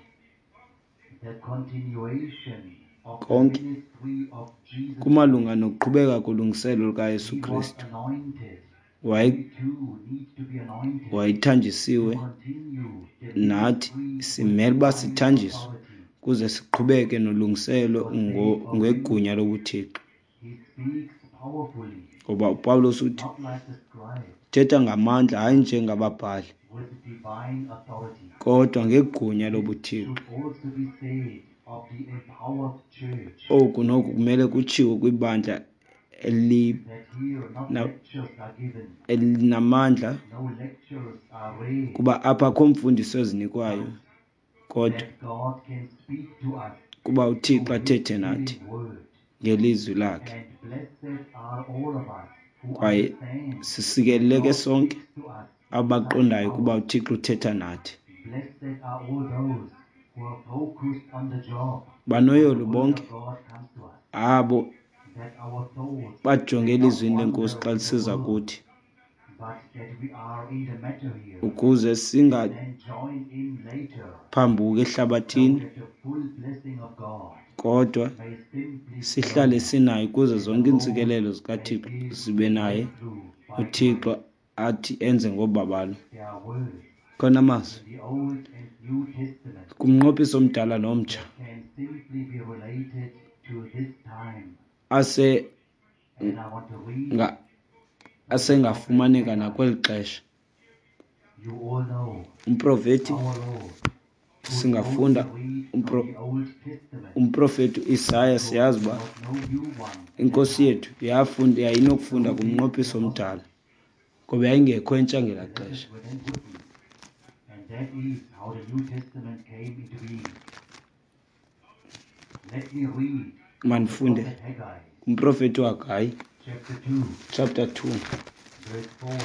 The continuation of the Konke ministry of Jesus kumalunga Christ. nokuqhubeka kolungiselelo lukaYesu He was Kristu. anointed. Waye- We too need to be anointed to Wayethanjisiwe, continue the nathi ministry with simele uba divine sithanjiswe authority. kuze siqhubeke nolungiselelo For the ngo- sake of him, ngegunya lobuThixo. he speaks powerfully, Ngoba uPawulos uthi not like the scribes, thetha ngamandla, hayi njengababhali, with divine authority. kodwa ngegunya This lobuThixo. should also be said of the empowered church, Oku noku kumele kutshiwo kwibandla eli- that here not na- lectures are given, elinamandla, no lectures are read, kuba apha akho mfundiso ezinikwayo, but kodwa that God can speak to us kuba uThixo through His athethe nathi living word. ngelizwi lakhe. And blessed are all of us who Kwaye understand that sisikeleleke God sonke speaks to us in such abaqondayo ukuba power. uThixo uthetha nathi. Blessed are all those who are focused on the job when the Banoyolo word bonke of God comes to us, abo that our thoughts bajonge may not elizwini lenkosi wander xa with the lisiza world, kuthi, but that we are in the matter here ukuze and then join in later, singaphambuki so ehlabathini, that the full blessing of God kodwa may simply sihlale flow sinaye ukuze and the zonke Lord iintsikelelo may zikaThixo give zibe naye, breakthrough by uThixo grace. athi enze ngobabalo. There are words Khona amazwi in the Old and New Testament kumnqophiso omdala nomtsha that can simply be related to this time. ase And I want to read nga from the prophet asengafumaneka Haggai. nakweli xesha. You all know Umprofeti our Lord could singafunda only read from umpro, the Old Testament umprofeti uIsaya, because siyazi there uba was no new one at that inkosi time. yethu yafunda yayinokufunda So did kumnqophiso the omdala apostles. Ngoba yayingekho entsha ngelaa The letters xesha. were then written, and that is how the New Testament came into being. Let me read from the Mandifunde prophet Haggai, kumprofeti uHagayi chapter two, chapter two verse four.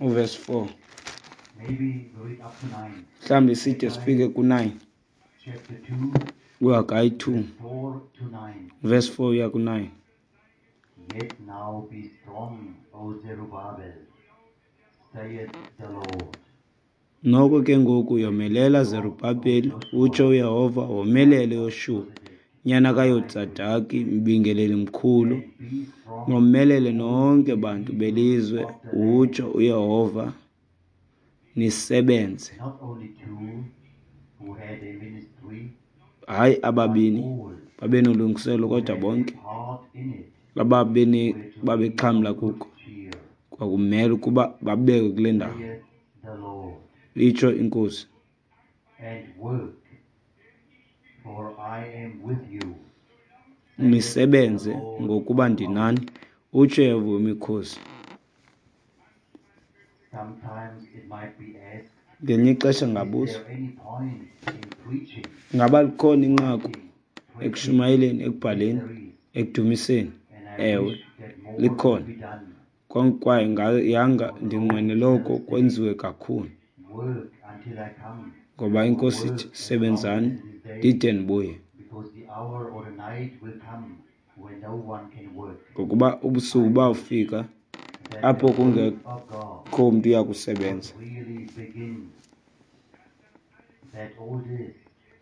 uverse four. Maybe we read up to nine. Mhlawumbi side Haggai sifike ku-nine. chapter two, uHagayi two verse four to nine. verse four uya ku-nine. Yet now be strong, O Zerubbabel, saith the Lord. Noko ke ngoku yomelela Strong, O Zerubhabheli, Joshua, utsho uYehova, womelele son of Yoshuwa, Josedek, nyana high priest, kaYotsadaki, mbingeleli mkhulu, and be strong, nomelele all nonke ye bantu people belizwe, of the land. utsho uYehova, nisebenze. Not only two who had a ministry, Hayi but ababini all babenolungiselelo who kodwa had a bonke part in it ababene were to be babexhamla of good kuko cheer, kwakumele ukuba babekwe kule ndawo, saith the Lord, itsho iNkosi. and work, for I am with you, saith the Nisebenze Lord ngokuba of ndinani, hosts. utsho uYehova wemikhosi. Sometimes it might be asked, Ngelinye ixesha is ngabuza, there any point in preaching, ngaba likhona inqaku writing, praising? ekushumayeleni, Yes, ekubhaleni, there is. ekudumiseni? And I Ewe, wish that more could likhona. be done. Kwaye yanga For the Lord ndinqwenele oko himself said, kwenziwe kakhulu. work until I come, Ngoba or iNkosi ithi, work as long sebenzani as it is day, ndide ndibuye. because the hour or the night will come when no one can work. Ngokuba ubusuku I wish bawufika that the apho work kungekho of God mntu uya would kusebenza. really begin, that all this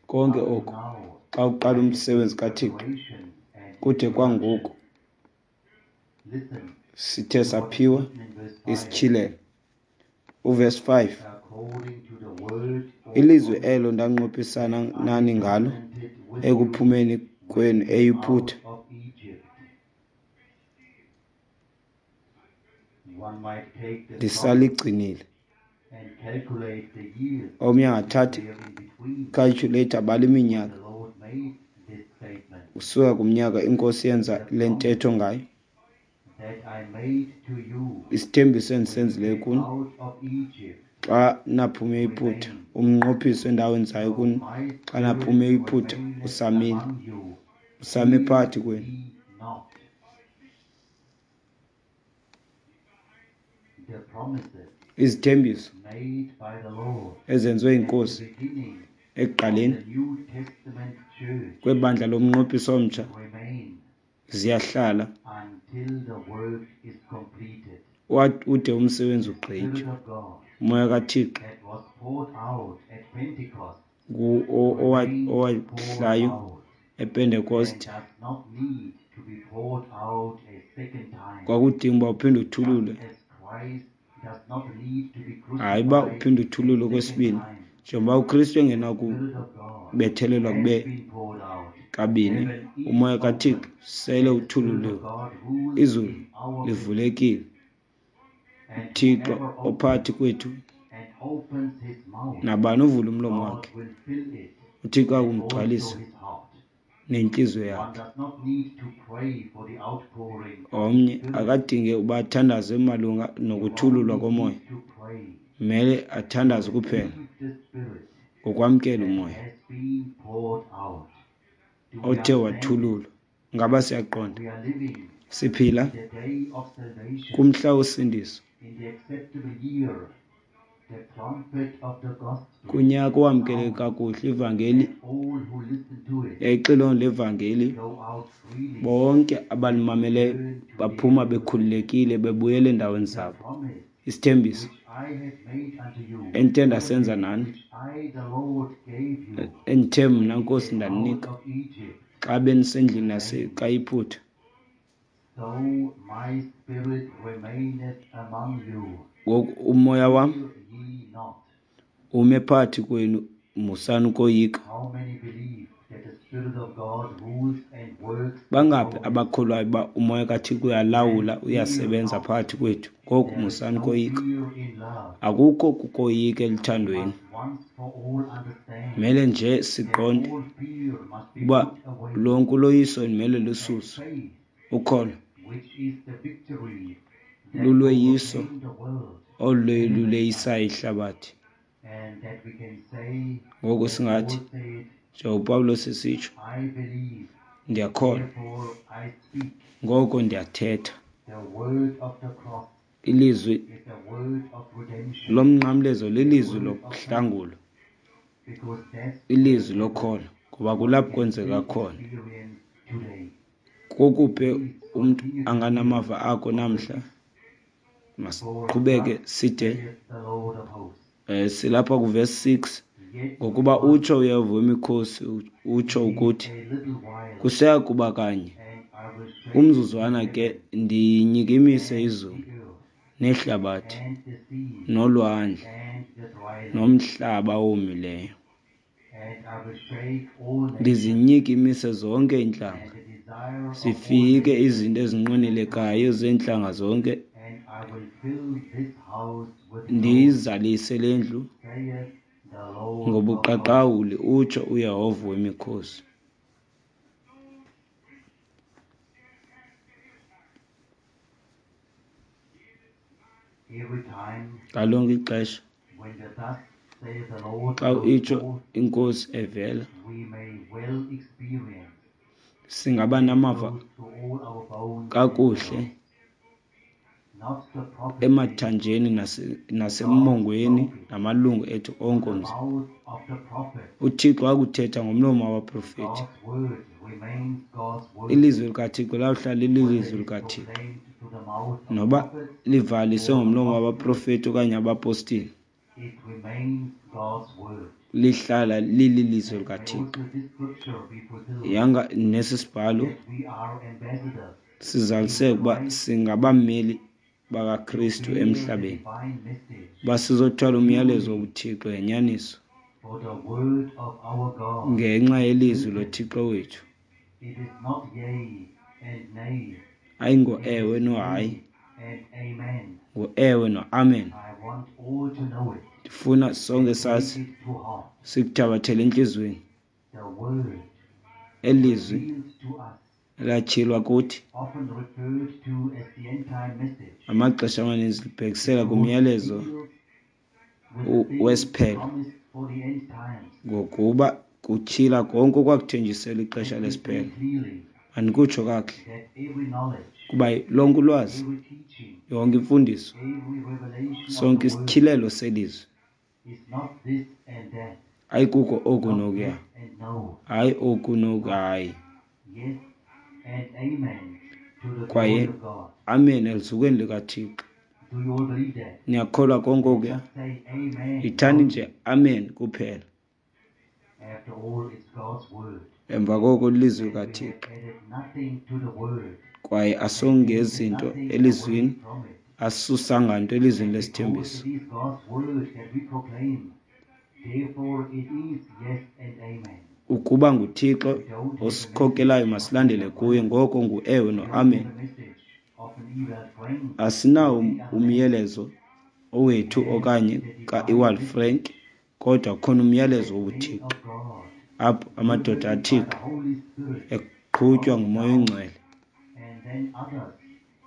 Konke up to oku now xa uqala might have umsebenzi been kaThixo preparation and kude kwangoku introduction. Listen sithe to what is saphiwa written in verse five. isityhilelo. Uverse five, According to the word or ilizwi promise elo ndanqophisana that I nani ngalo covenanted with you ekuphumeni when kwenu you came out eYiputa, of Egypt. One might take the trumpet ndisaligcinile. and calculate the years Omnye which angathatha were in between ikhaltyhuletha abale when iminyaka the Lord made this statement. usuka kumnyaka iNkosi yenza The le promise ntetho ngayo, that I made to you isithembiso when you endisenzileyo came kuni out of Egypt xa naphuma eYiputa, remains. umnqophiso endawenzayo So kuni my xa spirit naphuma eYiputa remaineth usamile, among you. usame Fear phakathi kwenu. ye not. The promises Izithembiso made by the Lord ezenziwe at the yiNkosi beginning of ekuqaleni the New Testament church kwebandla lomnqophiso omtsha remain ziyahlala until the work is completed. wa- ude umsebenzi The Spirit ugqitywe. of God Umoya kaThixo that was poured out at Pentecost ngu- o- owa- remains poured owahlayo out and ePentekoste does not need to be poured out a second time. kwakudinga uba uphinde Just uthululwe. as Christ does not need to be Hayi uba crucified uphinde a uthululwe second okwesibini, time. njengoba uKristu The Spirit of God engenakubethelelwa has kube been poured out. kabini, Heaven is umoya kaThixo open, sele and the Spirit of uthululiwe, God rules izulu in our midst. livulekile, And uThixo whoever ophakathi opens kwethu and opens his mouth, nabani uvula umlomo God wakhe, will fill it uThixo and also akumgcwalisa his heart. nentliziyo One yakhe. does not need to pray for the outpouring of the Omnye Spirit. akadinge uba athandaze malunga You nokuthululwa only komoya, need to pray mele to athandaze kuphela receive the Spirit ngokwamkela that umoya has been poured out. Do we othe understand this? wathululwa. Ngaba siyaqonda? We are living Siphila in the day of salvation, kumhla wosindiso, in the acceptable year. The trumpet of the gospel kunyaka owamkeleke sounds, kakuhle ivangeli and all who listen to it yayixilongo levangeli, go out freely bonke and abalimameleyo return to their baphuma dwelling. bekhululekile bebuyela endaweni The zabo. promise Isithembiso which I have made unto you, endithe ndasenza nani, which I the Lord gave you endithe when mna you Nkosi came out ndaninika of Egypt, xa benisendlini remains. yasekayiphutha, So my spirit remaineth among you. ngoku umoya wam Fear ye not. ume phakathi kwenu, musani ukoyika. How many believe that the Spirit of God rules and works in Bangaphi our midst? abakholwayo uba umoya kaThixo Then uyalawula fear uyasebenza not. phakathi kwethu? Ngoku There is musani no ukoyika. fear in love. Akukho kukoyika We eluthandweni. must once for all understand Mele nje that siqonde all fear must be uba put away, lonke uloyiso limele and lususwe. faith, Ukholo which is the victory that lulweyiso overcame the world, Olu enemy luleyisayo side. Ihlabathi. And that we can say, Ngoku as singathi, Paul said, njengoPawulos esitsho, I believe, ndiyakholwa, therefore I speak. Ngoko ndiyathetha. The word of the cross Ilizwi is the word of redemption, lomnqamlezo the lilizwi word of faith, lokuhlangulwa, because that's where ilizwi it lokholo, happens. Ngoba What we kulapho can kwenzeka still khona. experience today. Kokuphi Please umntu continue to hear anganamava ako of namhla? verse six. For Masiqhubeke thus side. Saith the Lord of hosts. Eh, silapha kuvesi six. Yet Ngokuba once utsho uYehova wemikhosi, utsho it is ukuthi, a little while, kuseya kuba kanye, and I will shake the umzuzwana ke, heavens ndiyinyikimise and izulu the earth, nehlabathi and the seas, nolwandle and the dry land, nomhlaba owomileyo. And I will shake all nations, Ndizinyikimise zonke iintlanga, and the desire of all zifike nations izinto will ezinqwenelekayo come, zeentlanga zonke, and I will fill this house with glory, ndiyizalise le ndlu saith the Lord of hosts. Ngobuqaqawuli, utsho uYehova wemikhosi. Every time Ngalonke ixesha when the thus saith the Lord xa goes itsho forth, iNkosi evela, we may well experience singaba that it namava goes to all our bones and kakuhle marrow. Not the prophet said it, emathanjeni nase- God nasemongweni spoke it namalungu ethu onke through the omzimba. mouth of the prophet. UThixo wakuthetha ngomlomo wabaprofeti. God's word remains God's word, Ilizwi likaThixo lawuhlala whether lilizwi it is likaThixo, proclaimed through the mouth of noba prophets livaliswe or ngomlomo apostles, wabaprofeti okanye abapostile, it remains God's word. Lihlala lililizwi And may likaThixo. also this scripture be fulfilled, Yanga nesi sibhalo that we are ambassadors sizaliseke in ukuba Christ singabameli to bakaKristu bear the emhlabeni, divine message uba sizothwala umyalezo truly, wobuThixo ngenyaniso, for the word of our God ngenxa is yelizwi certain. loThixo wethu. It is not yea and nay, Ayingo it ewe is nohayi, yea and amen. Ngu-ewe noamen. I want all to know it Ndifuna sonke and take sazi, it to heart. sikuthabathele entliziyweni. The word Eli lizwi revealed to us, elatyhilwa kuthi, often referred to as the end time message, amaxesha amaninzi libhekisela because it kumyalezo deals with the u- things wesiphelo, promised for the end times. Ngokuba kutyhila konke okwakuthenjiselwe ixesha Let me say lesiphelo. clearly Mandikutsho kakuhle that every knowledge, kuba lonke ulwazi, every teaching, yonke imfundiso, every revelation of sonke the word isityhilelo selizwi is not this and that, ayikuko oku not nokuya, yes and no, hayi oku noku, but hayi, yes and amen to the glory kwaye of God. amen elizukweni likaThixo. Do you all believe that? Niyakholwa konke Then okuya? just say amen Yithani loudly. nje amen kuphela. After all, it's God's word. Emva koko lilizwi And we have likaThixo, added nothing to the word kwaye and taken asongezi nto nothing away elizwini, from it. asusanga nto elizwini And because lesithembiso. it is God's word that we proclaim, therefore it is yes and amen. Ukuba nguThixo We don't have a osikhokelayo, message of masilandele Ewald kuye. Frank. Ngoko nguewe We don't have noamen. a message of an Ewald Frank or Asinawo any other man. umyalezo owethu We have okanye the divine ka-Ewald message Frank, kodwa khona umyalezo that men wobuThixo of God, apho amadoda driven by the aThixo Holy Spirit, eqhutywa come nguMoya down, oyiNgcwele and then others,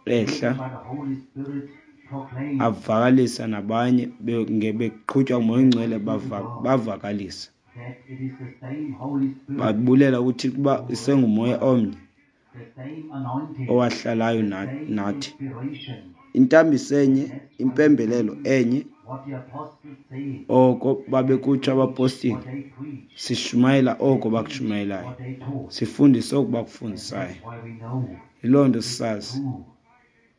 ehla, driven by the Holy Spirit, proclaim avakalisa, nabanye be- nge- beqhutywa nguMoya and oyiNgcwele thanks be to bava- God bavakalisa, that it is the same Holy Spirit babulela kuThixo uba who rests isenguMoya on us, omnye the same anointing, owahlalayo the na- same nathi, inspiration. Intambiso And enye, that's why we impembelelo say enye, what the apostles said oko and babekutsho preach abapostile, what they preached sishumayela oko and teach bakushumayelayo, what they taught. sifundise oko And bakufundisayo. that's why we know Yiloo nto it's sisazi true,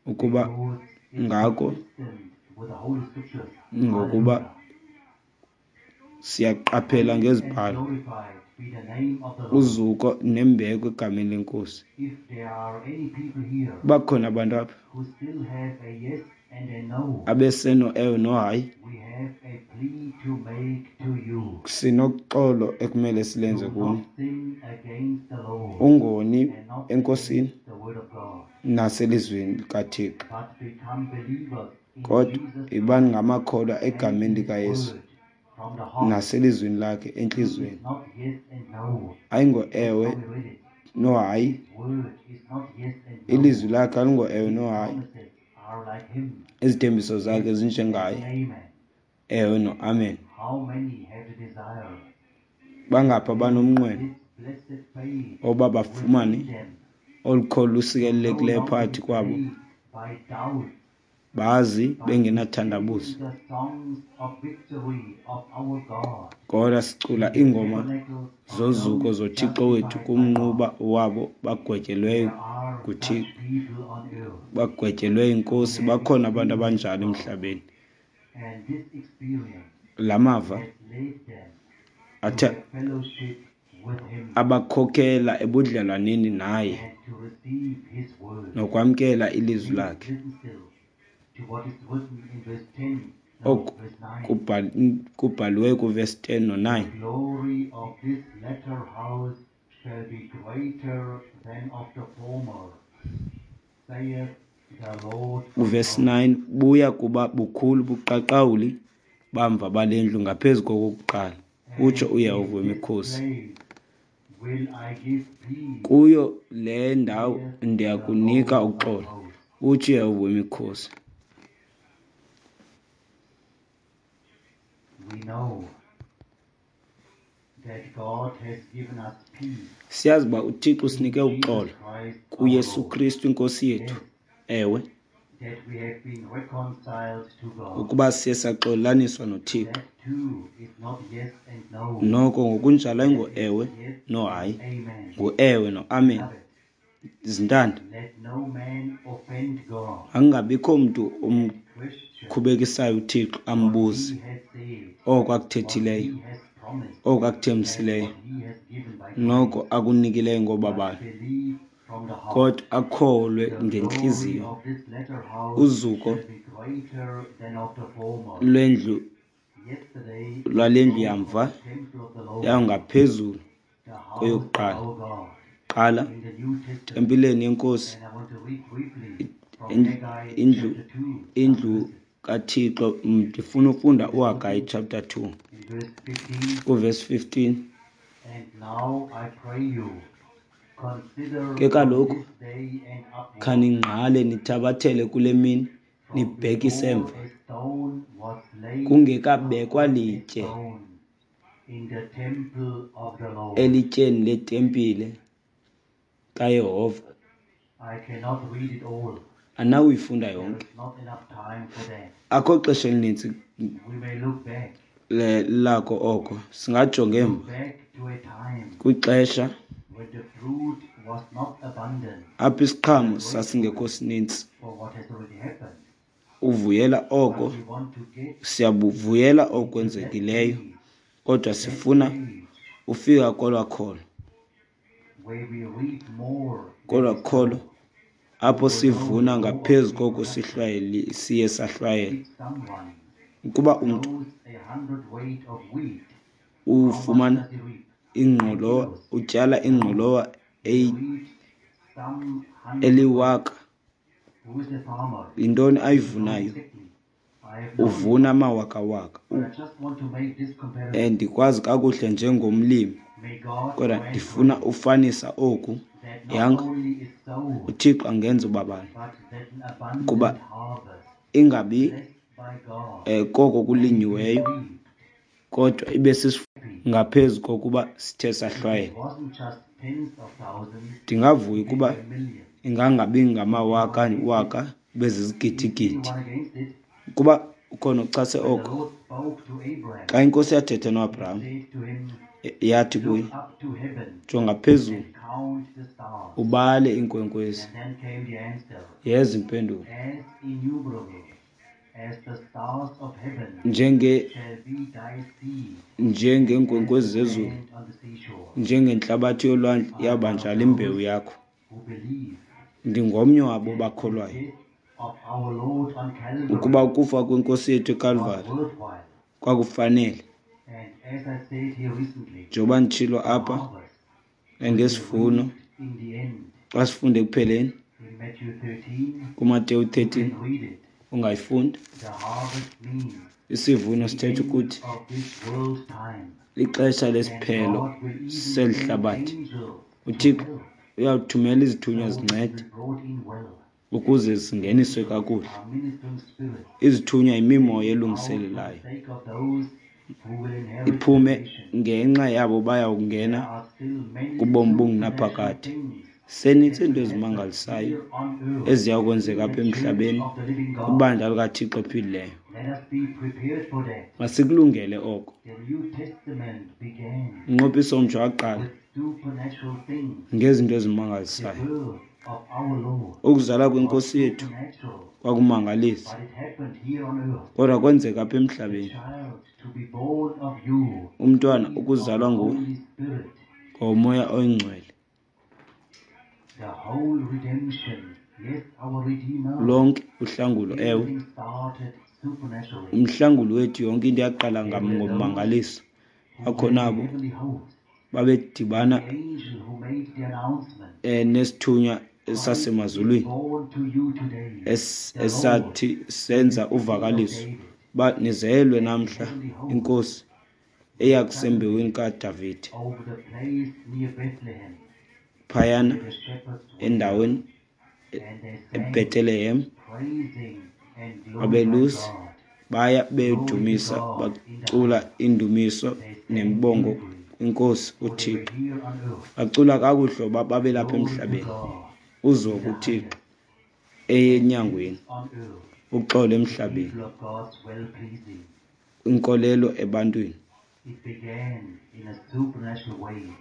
ukuba because it's ngako, consistent with the Holy Scriptures. Ngokuba Hallelujah. siyaqaphela Praised and ngezibhalo. Glorified be the name of the Lord. Uzuko nembeko egameni leNkosi. If there are any people here Bakhona abantu apha who still have a yes and a no, abeseno ewe nohayi, we have a plea to make to you. Sinoxolo ekumele silenze Do kuni. not sin against the Lord Ungoni and not eNkosini against the word of God, naselizwini likaThixo, but become believers in kodwa Jesus ibani Christ ngamakholwa and egameni in his likaYesu word from the heart. naselizwini lakhe It is entliziyweni. not yes and no. Ayingo That's ewe how we read it. nohayi. His word is not yes and no. Ilizwi lakhe alingo ewe His nohayi. promises are Izithembiso zakhe zinjengaye, ewe noamen. Bangaphi abanomnqweno oba bafumane olu kholo lusikelelekileyo phakathi kwabo, bazi bengenathandabuzo? Kodwa sicula iingoma zozuko zoThixo wethu kumnquba wabo bagwetyelweyo nguThixo, bagwetyelwe iNkosi. Bakhona abantu abanjalo emhlabeni. La mava athe abakhokela ebudlelwaneni naye nokwamkela ilizwi lakhe. Oku kubhaliweyo kuvesi ten no nine. Glory of this latter house shall be greater than of the former, saith the Lord of Kuvesi hosts. nine, buya kuba bukhulu buqaqawuli bamva bale ndlu ngaphezu kokokuqala, utsho And in uYehova this wemikhosi. place will I give peace, Kuyo le ndawo saith the ndiyakunika Lord of uxolo, hosts. utsho uYehova wemikhosi. We know that God has given us peace Siyazi uba uThixo in usinike Jesus uxolo Christ our kuYesu Lord. Kristu iNkosi yethu. Yes, Ewe, that we have been reconciled to God. ukuba siye saxolelaniswa noThixo. That too is not yes and no. Noko ngokunjalo That ayingo is ewe yes no and hayi, amen. nguewe noamen. Beloved, Zintanda, let no man offend God akungabikho mntu and question omkhubekisayo uThixo what ambuze he has said, oko what akuthethileyo, he has promised, oko and akuthembisileyo, what he has given by noko grace. akunikileyo But ngobabalo, believe from the heart. kodwa akholwe The glory ngentliziyo. of this latter house Uzuko shall be greater than of the former. lwendlu Yesterday we lwale ndlu spoke of yamva the temple of the Lord, yawungaphezulu the house of kweyokuqala. our God, Qala in the New Testament. tempileni yeNkosi, And I want to read briefly from indlu Haggai indlu chapter two, some indlu verses. kaThixo. Ndifuna ufunda It is uHagayi written chapter two in verse fifteen, kuvesi fifteen. And now I pray you, consider Ke from kaloku this day and upward, khaningqale nithabathele kule mini from nibhekise before emva, a stone was laid kungekabekwa upon a litye stone in the temple of the Lord. elityeni letempile kaYehova. I cannot read it all. Anawuyifunda There yonke, is not enough time for that. akho xesha elinintsi We may look back, le- lako oko. Singajonga look emva back to a time kwixesha when the fruit was not abundant apho isiqhamo and grateful sasingekho sinintsi. for what has already happened. Uvuyela oko, But we want to get siyabuvuyela into that okwenzekileyo, age, kodwa that sifuna age ufika kolwa kholo, where we reap more than kolwa we kholo sow. apho We will know sivuna the law of ngaphezu koko reproduction. sihlwayeli siye sahlwayela. If someone Ukuba umntu sows a hundredweight of wheat, how much ufumana does he reap? Ten ingqolowa, kilos? utyala No, ingqolowa he eyi- reaps some hundredweight. eliwaka, Who is the farmer? yintoni He knows ayivunayo? exactly. I have known him, Uvuna amawakawaka. but I just want to make this Um, comparison. ndikwazi kakuhle njengomlimi, May God kodwa grant ndifuna grace ufanisa oku. that not Yanga only is sown, uThixo angenza ubabalo but that an kuba abundant harvest, ingabi blessed by God, eh, koko may be kulinyiweyo, reaped. kodwa ibe sisivuno Happy ngaphezu kokuba sithe if it sahlwayela. wasn't just tens of thousands, Ndingavuya if it ukuba were millions. ingangabi Is anyone ngamawaka against it? waka, ibe Is zizigidi-gidi. anyone against it? Ukuba ukhona ochase When the oko, Lord spoke to Abraham, xa iNkosi yathetha he noAbraham, said to him, yathi kuye, Look up to heaven jonga phezulu and count the stars. ubale iinkwenkwezi. And then came the answer, Yeza impendulo, As innumerable as the stars of heaven njenge shall be thy seed, and as njengeenkwenkwezi the zezulu, sand on the seashore. njengentlabathi yolwandle, I am one yaba of njalo imbewu those yakho. who believe Ndingomnye wabo that the bakholwayo death of our Lord on ukuba Calvary ukufa kwenkosi yethu was eKalvari worthwhile. kwakufanele. And as I said here recently, Njengoba nditshilo the apha harvest will be ngesivuno, reaped in the end. xa sifunde ekupheleni In Matthew thirteen, kuMateyu you thirteen, can read it. ungayifunda. The harvest means Isivuno the sithetha end ukuthi of this world time. lixesha And lesiphelo God will even seli send hlabathi. angels to UThixo help uyawuthumela izithunywa so it zincede will be brought in well. Ukuze zingeniswe kakuhle. Izithunywa yimimoya elungiselelayo, iphume ngenxa yabo baya kungena kubomi obungunaphakade. Zisenintsi izinto ezimangalisayo eziya kwenzeka apha emhlabeni kwibandla likaThixo ophilileyo. Masikulungele oko. Umnqophiso omtsha waqala ngezinto ezimangalisayo. Ukuzalwa kweNkosi yethu kwakumangalisa, kodwa kwenzeka apha emhlabeni. Umntwana ukuzalwa nguwe ngoMoya oyiNgcwele. Lonke uhlangulo, ewe, umhlanguli wethu, yonke into yaqala ngommangaliso. Bakhona abo babedibana um nesithunywa sasemazulwini esathi senza uvakaliso uba nizelwe namhla iNkosi eya kusembewini kaDavide phayana endaweni eBethlehem. Abelusi baya bedumisa, bacula iindumiso nemibongo kwiNkosi uThixo. Bacula kakuhle uba babelapha emhlabeni. Uzuko kuThixo enyangweni, uxolo emhlabeni, inkolelo ebantwini.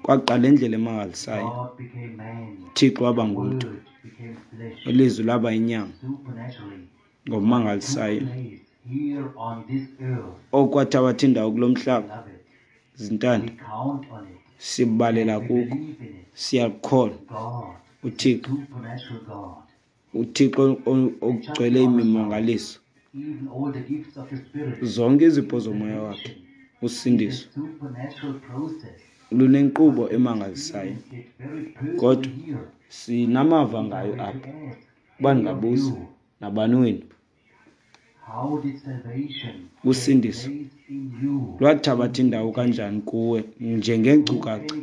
Kwaqala indlela emangalisayo. UThixo waba ngumntu, ilizwi laba yinyama ngomangalisayo. Okwathabatha indawo kulo mhlaba, zintanda, sibalela kuko, siyakukholwa. UThixo, uThixo ogcwele imimangaliso, zonke izipho zomoya wakhe, usindiso lunenkqubo emangalisayo, kodwa sinamava ngayo apha. Uba ndingabuza nabani wenu, usindiso lwathabatha indawo kanjani kuwe njengeenkcukacha?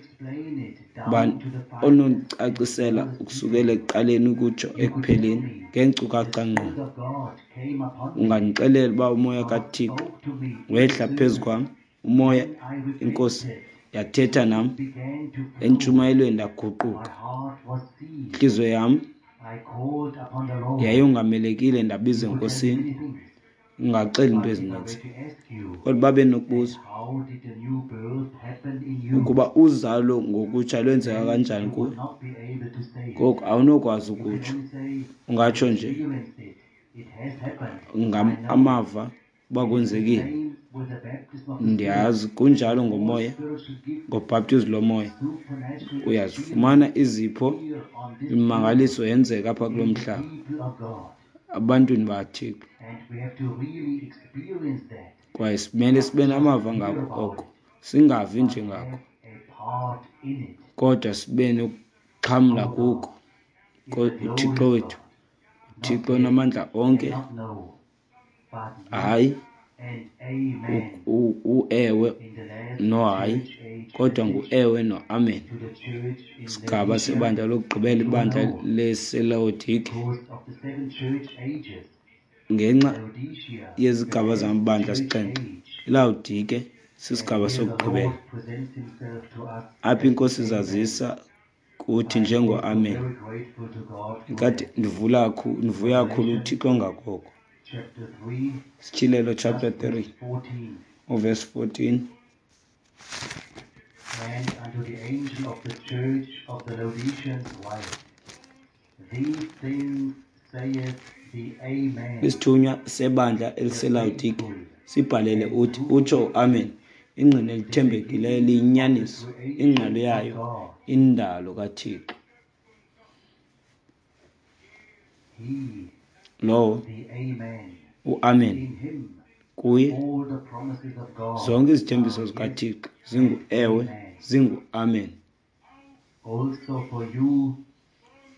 Bani onondicacisela ukusukela ekuqaleni ukutsho ekupheleni ngeenkcukacha ngqo? Ungandixelela uba umoya kaThixo wehla phezu kwam, umoya iNkosi yathetha nam entshumayelweni, ndaguquka. Intliziyo yam yayongamelekile, ndabiza eNkosini. Ungaxela into ezininzi, kodwa babe nokubuza ukuba uzalo ngokutsha lwenzeka kanjani kuwe, ngoku awunokwazi ukutsho. Ungatsho nje amava uba kwenzekile. Ndiyazi kunjalo ngomoya, ngobhaptizo lomoya uyazifumana izipho, imimangaliso yenzeka apha kulo mhlaba ebantwini bakaThixo. Kwaye simele sibe namava ngako oko, singavi nje ngako, kodwa sibe nokuxhamla kuko. UThixo wethu, uThixo onamandla onke, hayi uewe nohayi, kodwa nguewe noamen. Sigaba sebandla lokugqibela, ibandla leselawodike, ngenxa yezigaba zamabandla sixhenxe, iLawodike sisigaba sokugqibela. Apha iNkosi izazisa kuthi njengoAmen. Ndikade ndivula ndivuya kakhulu uThixo ngakoko. Sityhilelo chapter three uverse fourteen. And unto the angel of the church of the Laodiceans write, These things saith the Amen, Isithunywa sebandla eliseLawodike sibhalele uthi, utsho uAmen, ingqina elithembekileyo liyinyaniso, ingqalo yayo indalo kaThixo. He, Lowo the Amen, uAmen, in him kuye all the promises of God zonke izithembiso are yes zikaThixo zingu-ewe, zingu-amen. also for you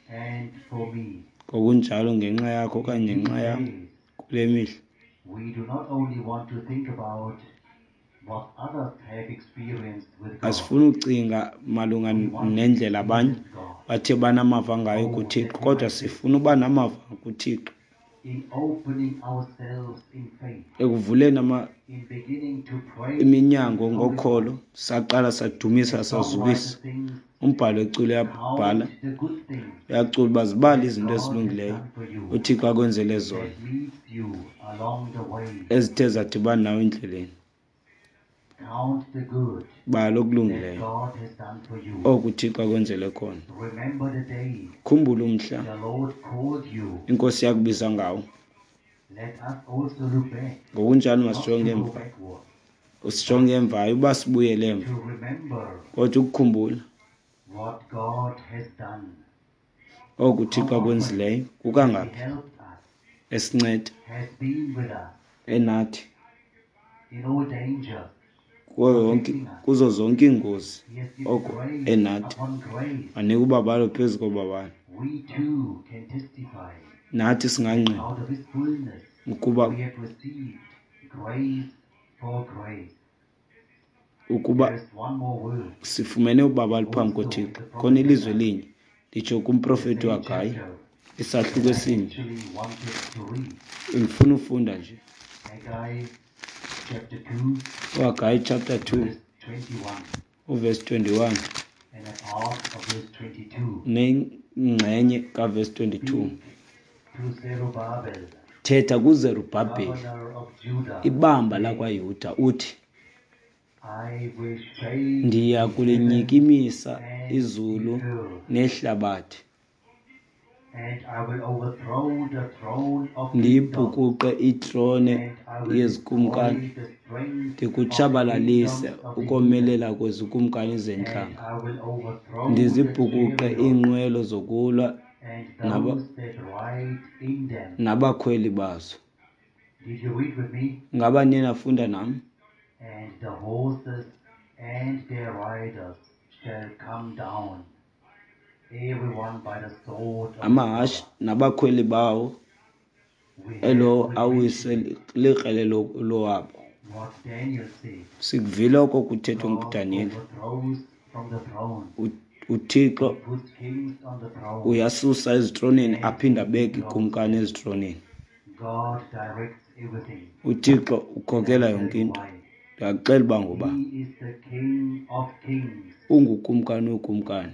and for me. Ngokunjalo ngenxa yakho okanye In ngenxa these yam days, kule mihla we do not only want to think about what others have experienced with God, asifuni ucinga malunga we want to nendlela abanye experience God. Bathe banamava ngayo Oh, kuThixo, that we kodwa might sifuna uba namava kuThixo in opening ourselves in faith, ekuvuleni ama in beginning to praise iminyango and ngokholo. glorify. Saqala sadumisa The songwriter sazukisa. sings, Umbhalo weculo uyabhala, Count the good things uyacula uba zibale that izinto God has ezilungileyo done for you, uThixo akwenzele zona, that meets you along the way. ezithe zadibana nawe endleleni. Count the good Bala that okulungileyo God has done for you. oku uThixo akwenzele khona. Remember the day Khumbula umhla the Lord called you. iNkosi yakubiza ngawo. Let us also look back, Ngokunjalo not masijonge to go emva, backward, sijonge emva, hayi uba sibuyele emva, to remember kodwa ukukhumbula what God has done. oku uThixo How often akwenzileyo has He kukangaphi helped us, esinceda has been with us enathi in all dangers, kuyo yonke protecting us. kuzo zonke iingozi, He has given oko grace enathi upon grace. wanika ubabalo phezu kobabalo. We too can testify Nathi singangqina out of His fullness ukuba we have received grace for grace. ukuba There is one more word sifumene ubabalo phambi also in koThixo. the Khona prophet ilizwi Haggai, elinye nditsho the kumprofeti same uHagayi, chapter isahluko that I esinye. actually wanted to read. Ndifuna ufunda nje Haggai chapter two, uHagayi chapter two verse twenty-one, uverse twenty-one and a part of verse twenty-two. nengxenye kaverse twenty-two. Speak to Zerubbabel, Thetha kuZerubhabheli, governor of Judah, ibamba saying, lakwaYuda, uthi, I will shake ndiya the heavens kulinyikimisa and the izulu earth, nehlabathi, and I will overthrow the throne of kingdoms, ndiyibhukuqe itrone and I will destroy yezikumkani, the strength of the ndikutshabalalise kingdoms of the heathen, ukomelela kwezikumkani and zentlanga, I will overthrow the ndizibhukuqe chariots iinqwelo zokulwa and naba those that ride in them. nabakhweli bazo. Did you read with me? Ngaba niye nafunda nam? And the horses and their riders shall come down, every one by the sword of his Amahashe brother. nabakhweli bawo, We have elowo already awiswe likrele lo- lowabo. what Daniel said. Sikuvile oko kuthethwa God nguDaniyeli. overthrows from the throne. U- uThixo He puts kings on the throne uyasusa ezitroneni and aphinde he abeke dethrones ikumkani them. ezitroneni. God directs everything. UThixo And I ukhokela tell yonke you into. why. Ndiyakuxela uba ngoba He is the King of kings, ungukumkani weekumkani.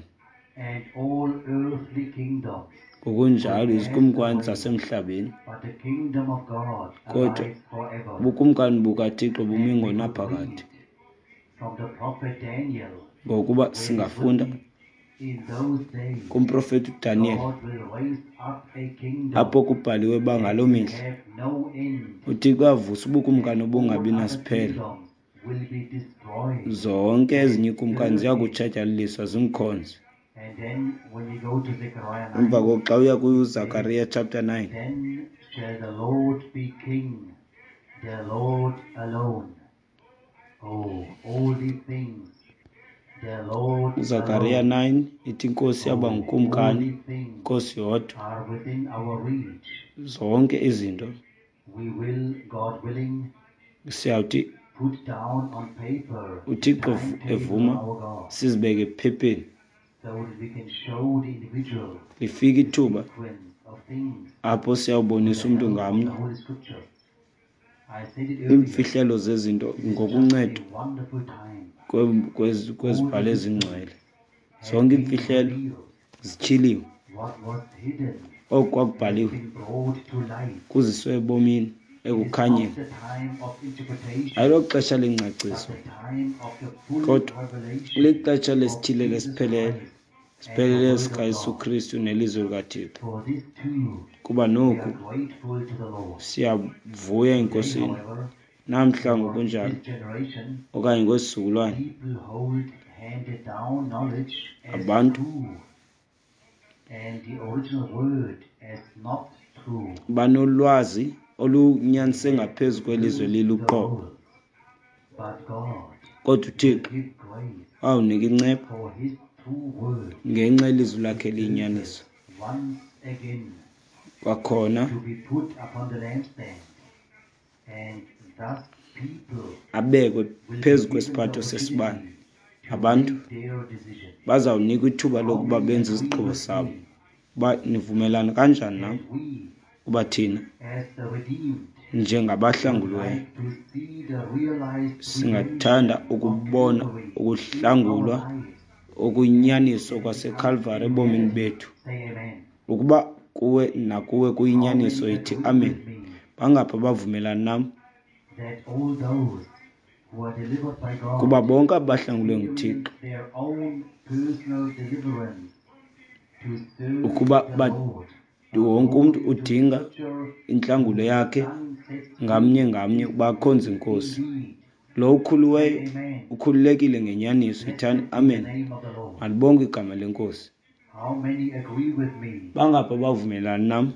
and all earthly kingdoms will Ngokunjalo pass izikumkani away, zasemhlabeni, but the kingdom of God kodwa abides forever. ubukumkani bukaThixo bumi And we could ngonaphakade. read from the prophet Daniel, Ngokuba where it is singafunda written, in those days kumprofeti uDaniyeli, God will raise up a kingdom apho kubhaliwe uba that ngaloo will mihla have no end, uThixo uyavusa ubukumkani and all obungabi other nasiphelo. kingdoms will be destroyed Zonke and ezinye iikumkani serve ziya it. kutshatyalaliswa zimkhonze. And then when we go to Zechariah Emva nine, koko xa uya it says, kuZakariya chapter nine, Then shall the Lord be king, the Lord alone. Oh, all these things, the Lord uZakariya alone. nine ithi iNkosi yaba Oh, all ngukumkani, these things iNkosi yodwa. are within our reach. Zonke izinto We will, God willing, siyawuthi put down on paper the uThixo timetable of evuma our God, sizibeke ephepheni. so that we can show the individual Lifike the ithuba sequence of things apho with siyawubonisa the umntu help of the ngamnye Holy Scriptures. I said it earlier, iimfihlelo zezinto it is just ngokuncedo a wonderful time. kwe- kwezi- All kwezibhalo the ezingcwele. mysteries have Zonke been iimfihlelo revealed. zityhiliwe. What was hidden Oku has kwakubhaliwe been brought to light. kuziswe ebomini, It is not ekukhanyeni. the time of interpretation, Ayiloxesha but lengcaciso, the time of the full kodwa revelation lixesha of lesithile Jesus lesiphelele, Christ and the siphelele Word of sikaYesu God. Kristu nelizwi likaThixo. For this too, Kuba we noku are grateful to the Lord. siyavuya Today, eNkosini. however, Namhla or in ngokunjalo, this generation, okanye kwesizukulwane, people hold handed down knowledge as abantu true and the original word as not true. banolwazi They olunyanise have ngaphezu kwelizwe loosed the liluqobo. rules, but God Kodwa will uThixo give grace wawunika inceba for His true word, ngenxa yelizwi lakhe His eliyinyaniso. purpose, once again Kwakhona to be put upon the lampstand, and thus people abekwe will be phezu given the kwesiphatho sesibane, opportunity Abantu bazawunikwa ithuba lokuba benze isigqibo sabo. Uba nivumelana kanjani nam uba thina njengabahlanguliweyo singathanda ukubona ukuhlangulwa okuyinyaniso kwaseKalvari ebomini bethu. Ukuba kuwe nakuwe kuyinyaniso, yithi amen. Bangaphi abavumelana nam kuba bonke abahlangulwe nguThixo ukuba wonke umntu udinga intlangulo yakhe ngamnye ngamnye ukuba akhonze iNkosi. Lo ukhuluweyo ukhululekile ngenyaniso, yithani amen. Malibongwe igama leNkosi. Bangaphi abavumelana nam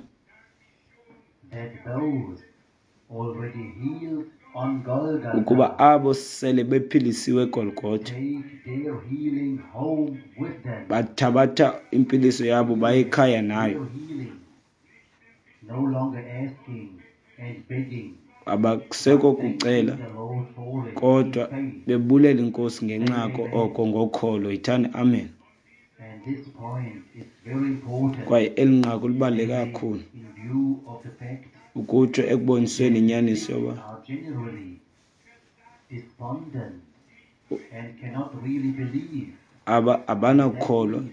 ukuba abo sele bephilisiwe eGolgotha bathabatha impiliso yabo baye ekhaya nayo, abakusekho kucela kodwa bebulela iNkosi ngenxa yako oko ngokholo, yithani amen. Kwaye eli nqaku libaluleke kakhulu ukutsho ekubonisweni inyaniso yoba aba abanakukholwa.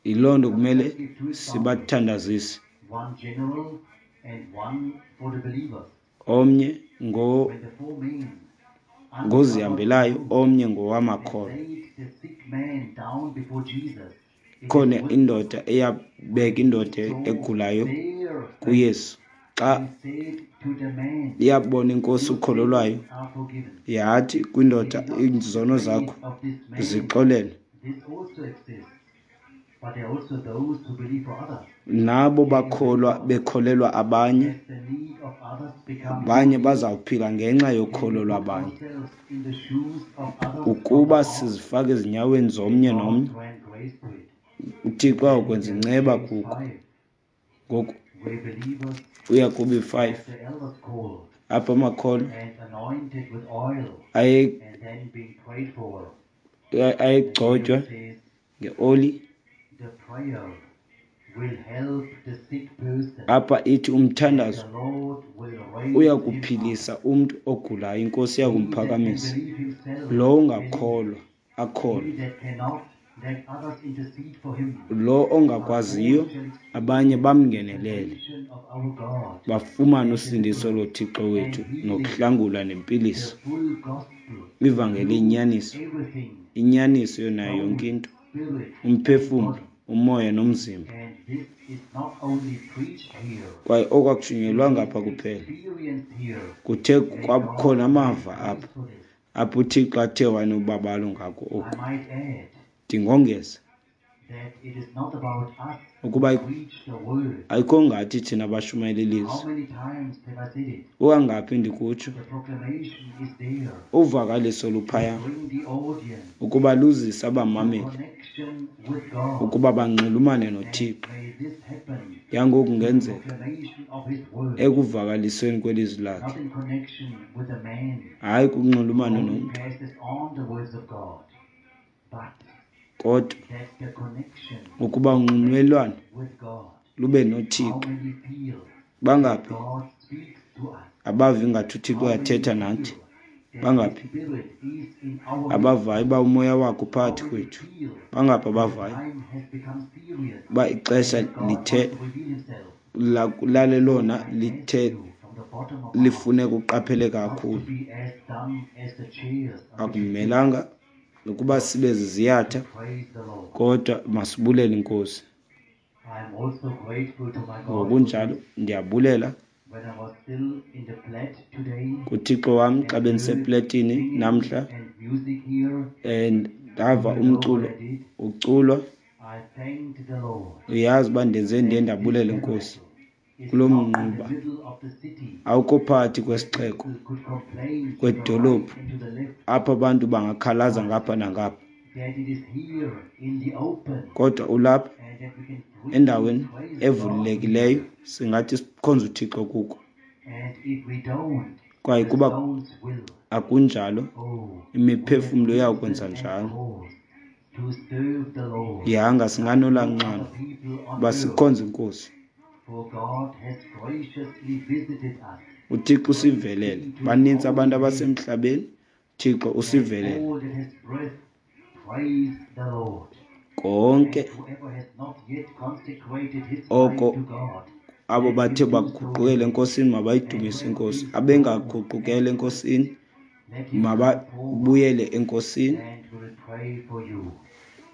Yiloo nto kumele sibathandazise. Omnye ngo ngozihambelayo, omnye ngowamakholwa. Ikhona indoda eyabeka indoda egulayo kuYesu. Xa iyabona iNkosi ukholo lwayo, yathi kwindoda, izono zakho zixolelwe. Nabo bakholwa bekholelwa abanye, abanye bazawuphila ngenxa yokholo lwabanye. Ukuba sizifaka ezinyaweni zomnye nomnye, uThixo uyawukwenza inceba kuko. Ngoku uya kubi five apha amakholwa aye ayegcotywa ngeoli. Apha ithi umthandazo uya kuphilisa umntu ogulayo, iNkosi iya kumphakamisa. Lo ungakholwa akholwe, lo ongakwaziyo abanye bamngenelele, bafumane usindiso loThixo wethu nokuhlangulwa nempiliso. Ivangeli iyinyaniso, inyaniso yonayo yonke into, umphefumlo, umoya nomzimba. Kwaye oku akushunyelwanga apha kuphela, kuthe kwakhona amava apha apho uThixo athe wanobabalo ngako oku. Ndingongeza ukuba ayikho ngathi thina bashumayela ilizwi. Kukangaphi ndikutsho, uvakaliso luphaya ukuba luzise abamameli ukuba banxulumane noThixo. Yangoku kungenzeka ekuvakalisweni kwelizwi lakhe, hayi kunxulumano nomntu, kodwa ukuba unxulumelwano lube noThixo. Bangaphi abava ingathi uThixo uyathetha nathi? Bangaphi abavayo uba umoya wakhe uphakathi kwethu? Bangaphi abavayo uba ixesha lithe lalelona lithe lifuneka uqapheleka kakhulu? Akumelanga nokuba sibe ziziyatha, kodwa masibulele iNkosi. Ngokunjalo ndiyabulela kuThixo wam xa bendisepletini namhla and ndava umculo uculwa. Uyazi uba ndenze ndiye ndabulela iNkosi kulo mnquba awukho phakathi kwesixeko, kwedolophu apho abantu bangakhalaza ngapha nangapha, kodwa ulapha endaweni evulekileyo singathi sikhonze uThixo kuko. Kwaye The kuba souls will. akunjalo, Oh, we have imiphefumlo reason iyawukwenza and njalo. cause to serve the Lord Yanga like no singanolaa other people on uba earth, sikhonze inkosi. for God has graciously visited us. UThixo Praise usivelele. be to his Banintsi holy abantu name, abasemhlabeni, Thixo and usivelele. all that has breath, praise the Lord. Konke And whoever has not yet consecrated his life oko to God, abo let him bathe do so baguqukela today. enkosini And mabayidumise whoever inkosi. feels known Abengaguqukela and enkosini pressed, let him come forward, mababuyele enkosini. and we will pray for you.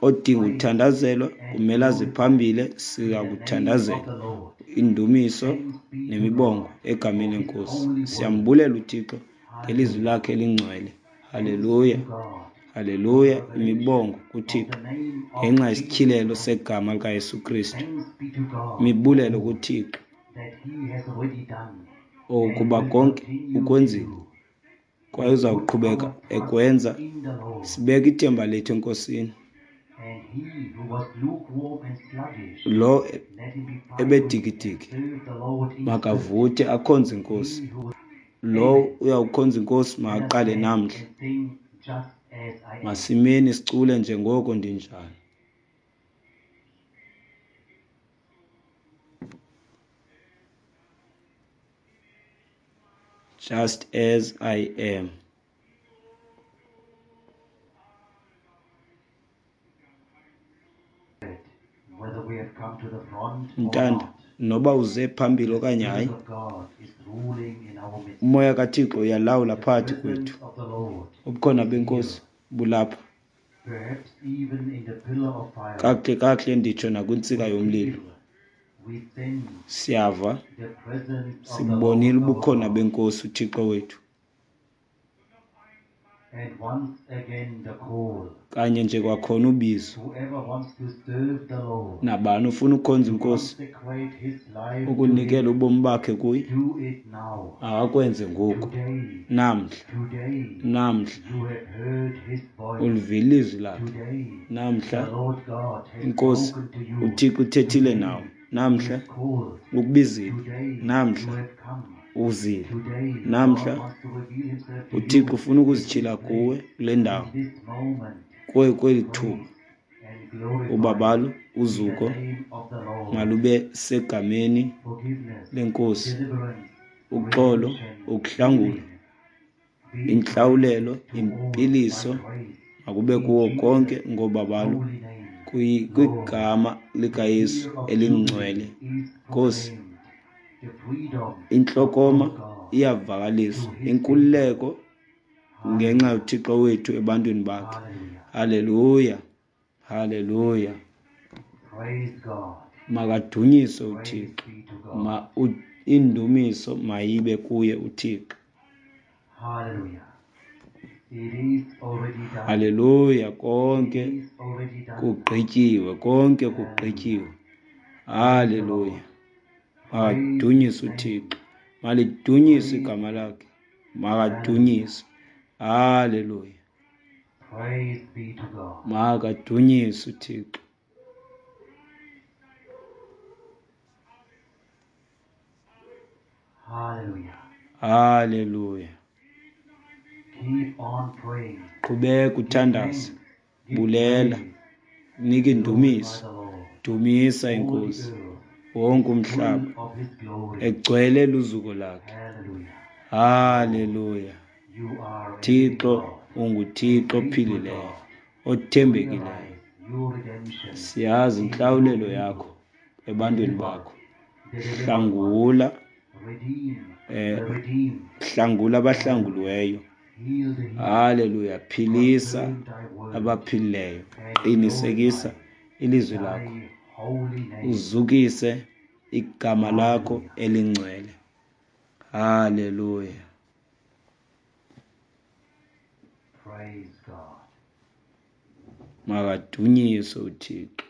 Odinga Praise uthandazelwa and kumele aze glorify phambili, be the name of siyakuthandazela. the Lord. Indumiso Thanks be to nemibongo God egameni for his lenkosi. holy word. Siyambulela uThixo ngelizwi Hallelujah. lakhe elingcwele. Thanks be Haleluya, to God for the haleluya. revelation Imibongo of kuThixo the name of ngenxa Jesus yesityhilelo Christ. segama likaYesu Kristu. Thanks be to God for Imibulelo all kuThixo that he has already done and okuba will konke continue to ukwenzile do. kwaye We uza put kuqhubeka our trust ekwenza. in the Lord. Sibeka ithemba lethu enkosini. And he who was lukewarm and sluggish, Lo let him be fiery and ebedikidiki serve the Lord in spirit. makavuthe akhonze inkosi. He who was Lo Amen. uyawukhonza inkosi Let us makaqale stand namhla. and sing just as I am. Masimeni sicule njengoko ndinjalo. Just as I am. Whether we have come to the front or Mntanda, not, noba uze phambili the okanye Spirit hayi, of God is ruling in our midst. umoya kaThixo uyalawula The phakathi presence kwethu. of the Lord Ubukhona is benkosi here, bulapha. perhaps even in the pillar of fire. Kakuhle kakuhle nditsho nakwintsika We yomlilo. feel, we sense Siyava, the presence of the sibonile Lord our ubukhona God. benkosi uThixo wethu. And once again the call. Kanye nje kwakhona ubizo. Whoever wants to serve the Lord, Nabani ufuna ukukhonza to inkosi, consecrate his life to ukunikela him, ubomi bakhe kuye, do it now. akakwenze ngoku. Today, Namhla, today, namhla you have heard his voice. ulivile ilizwi lakhe. Today, the Namhla Lord God has inkosi spoken to you. uThixo uthethile Today, nawe. he Namhla has called. ukubizile. Today, you Namhla have come. uzile. Today, God Namhla wants to reveal himself to uThixo you ufuna in ukuzitshila this kuwe place, kule ndawo, in this moment. kuwe kweli thuba. Praise and glorify Ubabalo, be the uzuko name of the Lord. malube segameni Forgiveness, lenkosi. deliverance, Uxolo, redemption, ukuhlangula, healing be intlawulelo, granted to all by impiliso grace makube in kuwo konke Jesus' ngobabalo holy name. kwi- Lord, kwigama the likaYesu year of elingcwele. Jubilee is Nkosi, proclaimed, the freedom of intlokoma our God iyavakaliswa, to his people. inkululeko ngenxa Hallelujah. yoThixo wethu ebantwini bakhe. Hallelujah. Haleluya, haleluya. Praise God. Makadunyiswe Praise uThixo. be to God. Ma u- indumiso mayibe kuye uThixo. Hallelujah. It is already done. Haleluya, It konke is already done. kugqityiwe, konke Hallelujah. kugqityiwe. Praise the Haleluya. Lord. Praise his Makadunyiswe name. uThixo. Malidunyiswe Praise. igama lakhe. Hallelujah. Makadunyiswe. Haleluya. Praise be to God. Makadunyiswe uThixo. Hallelujah. Haleluya. Keep on praying. Qhubeka Give uthandaze, thanks. Give bulela, praise. nika Glorify indumiso, the Lord. dumisa All the inkosi. earth Wonke is full umhlaba of his glory. egcwele luzuko lakhe. Hallelujah. Lord, Haleluya. you are a living Thixo God, a unguThixo faithful ophilileyo, God. othembekileyo. Realize your redemption Siyazi in your intlawulelo people. yakho ebantwini Deliver bakho. the delivered ones. Hlangula, Redeem eh, the redeemed. hlangula Hallelujah. abahlanguliweyo. Heal the healed. Haleluya. Philisa Confirm thy word abaphilileyo. and Qinisekisa glorify ilizwi lakho. thy holy name. Uzukise igama lakho Hallelujah. elingcwele. Haleluya. Praise God. Makadunyiswe uThixo.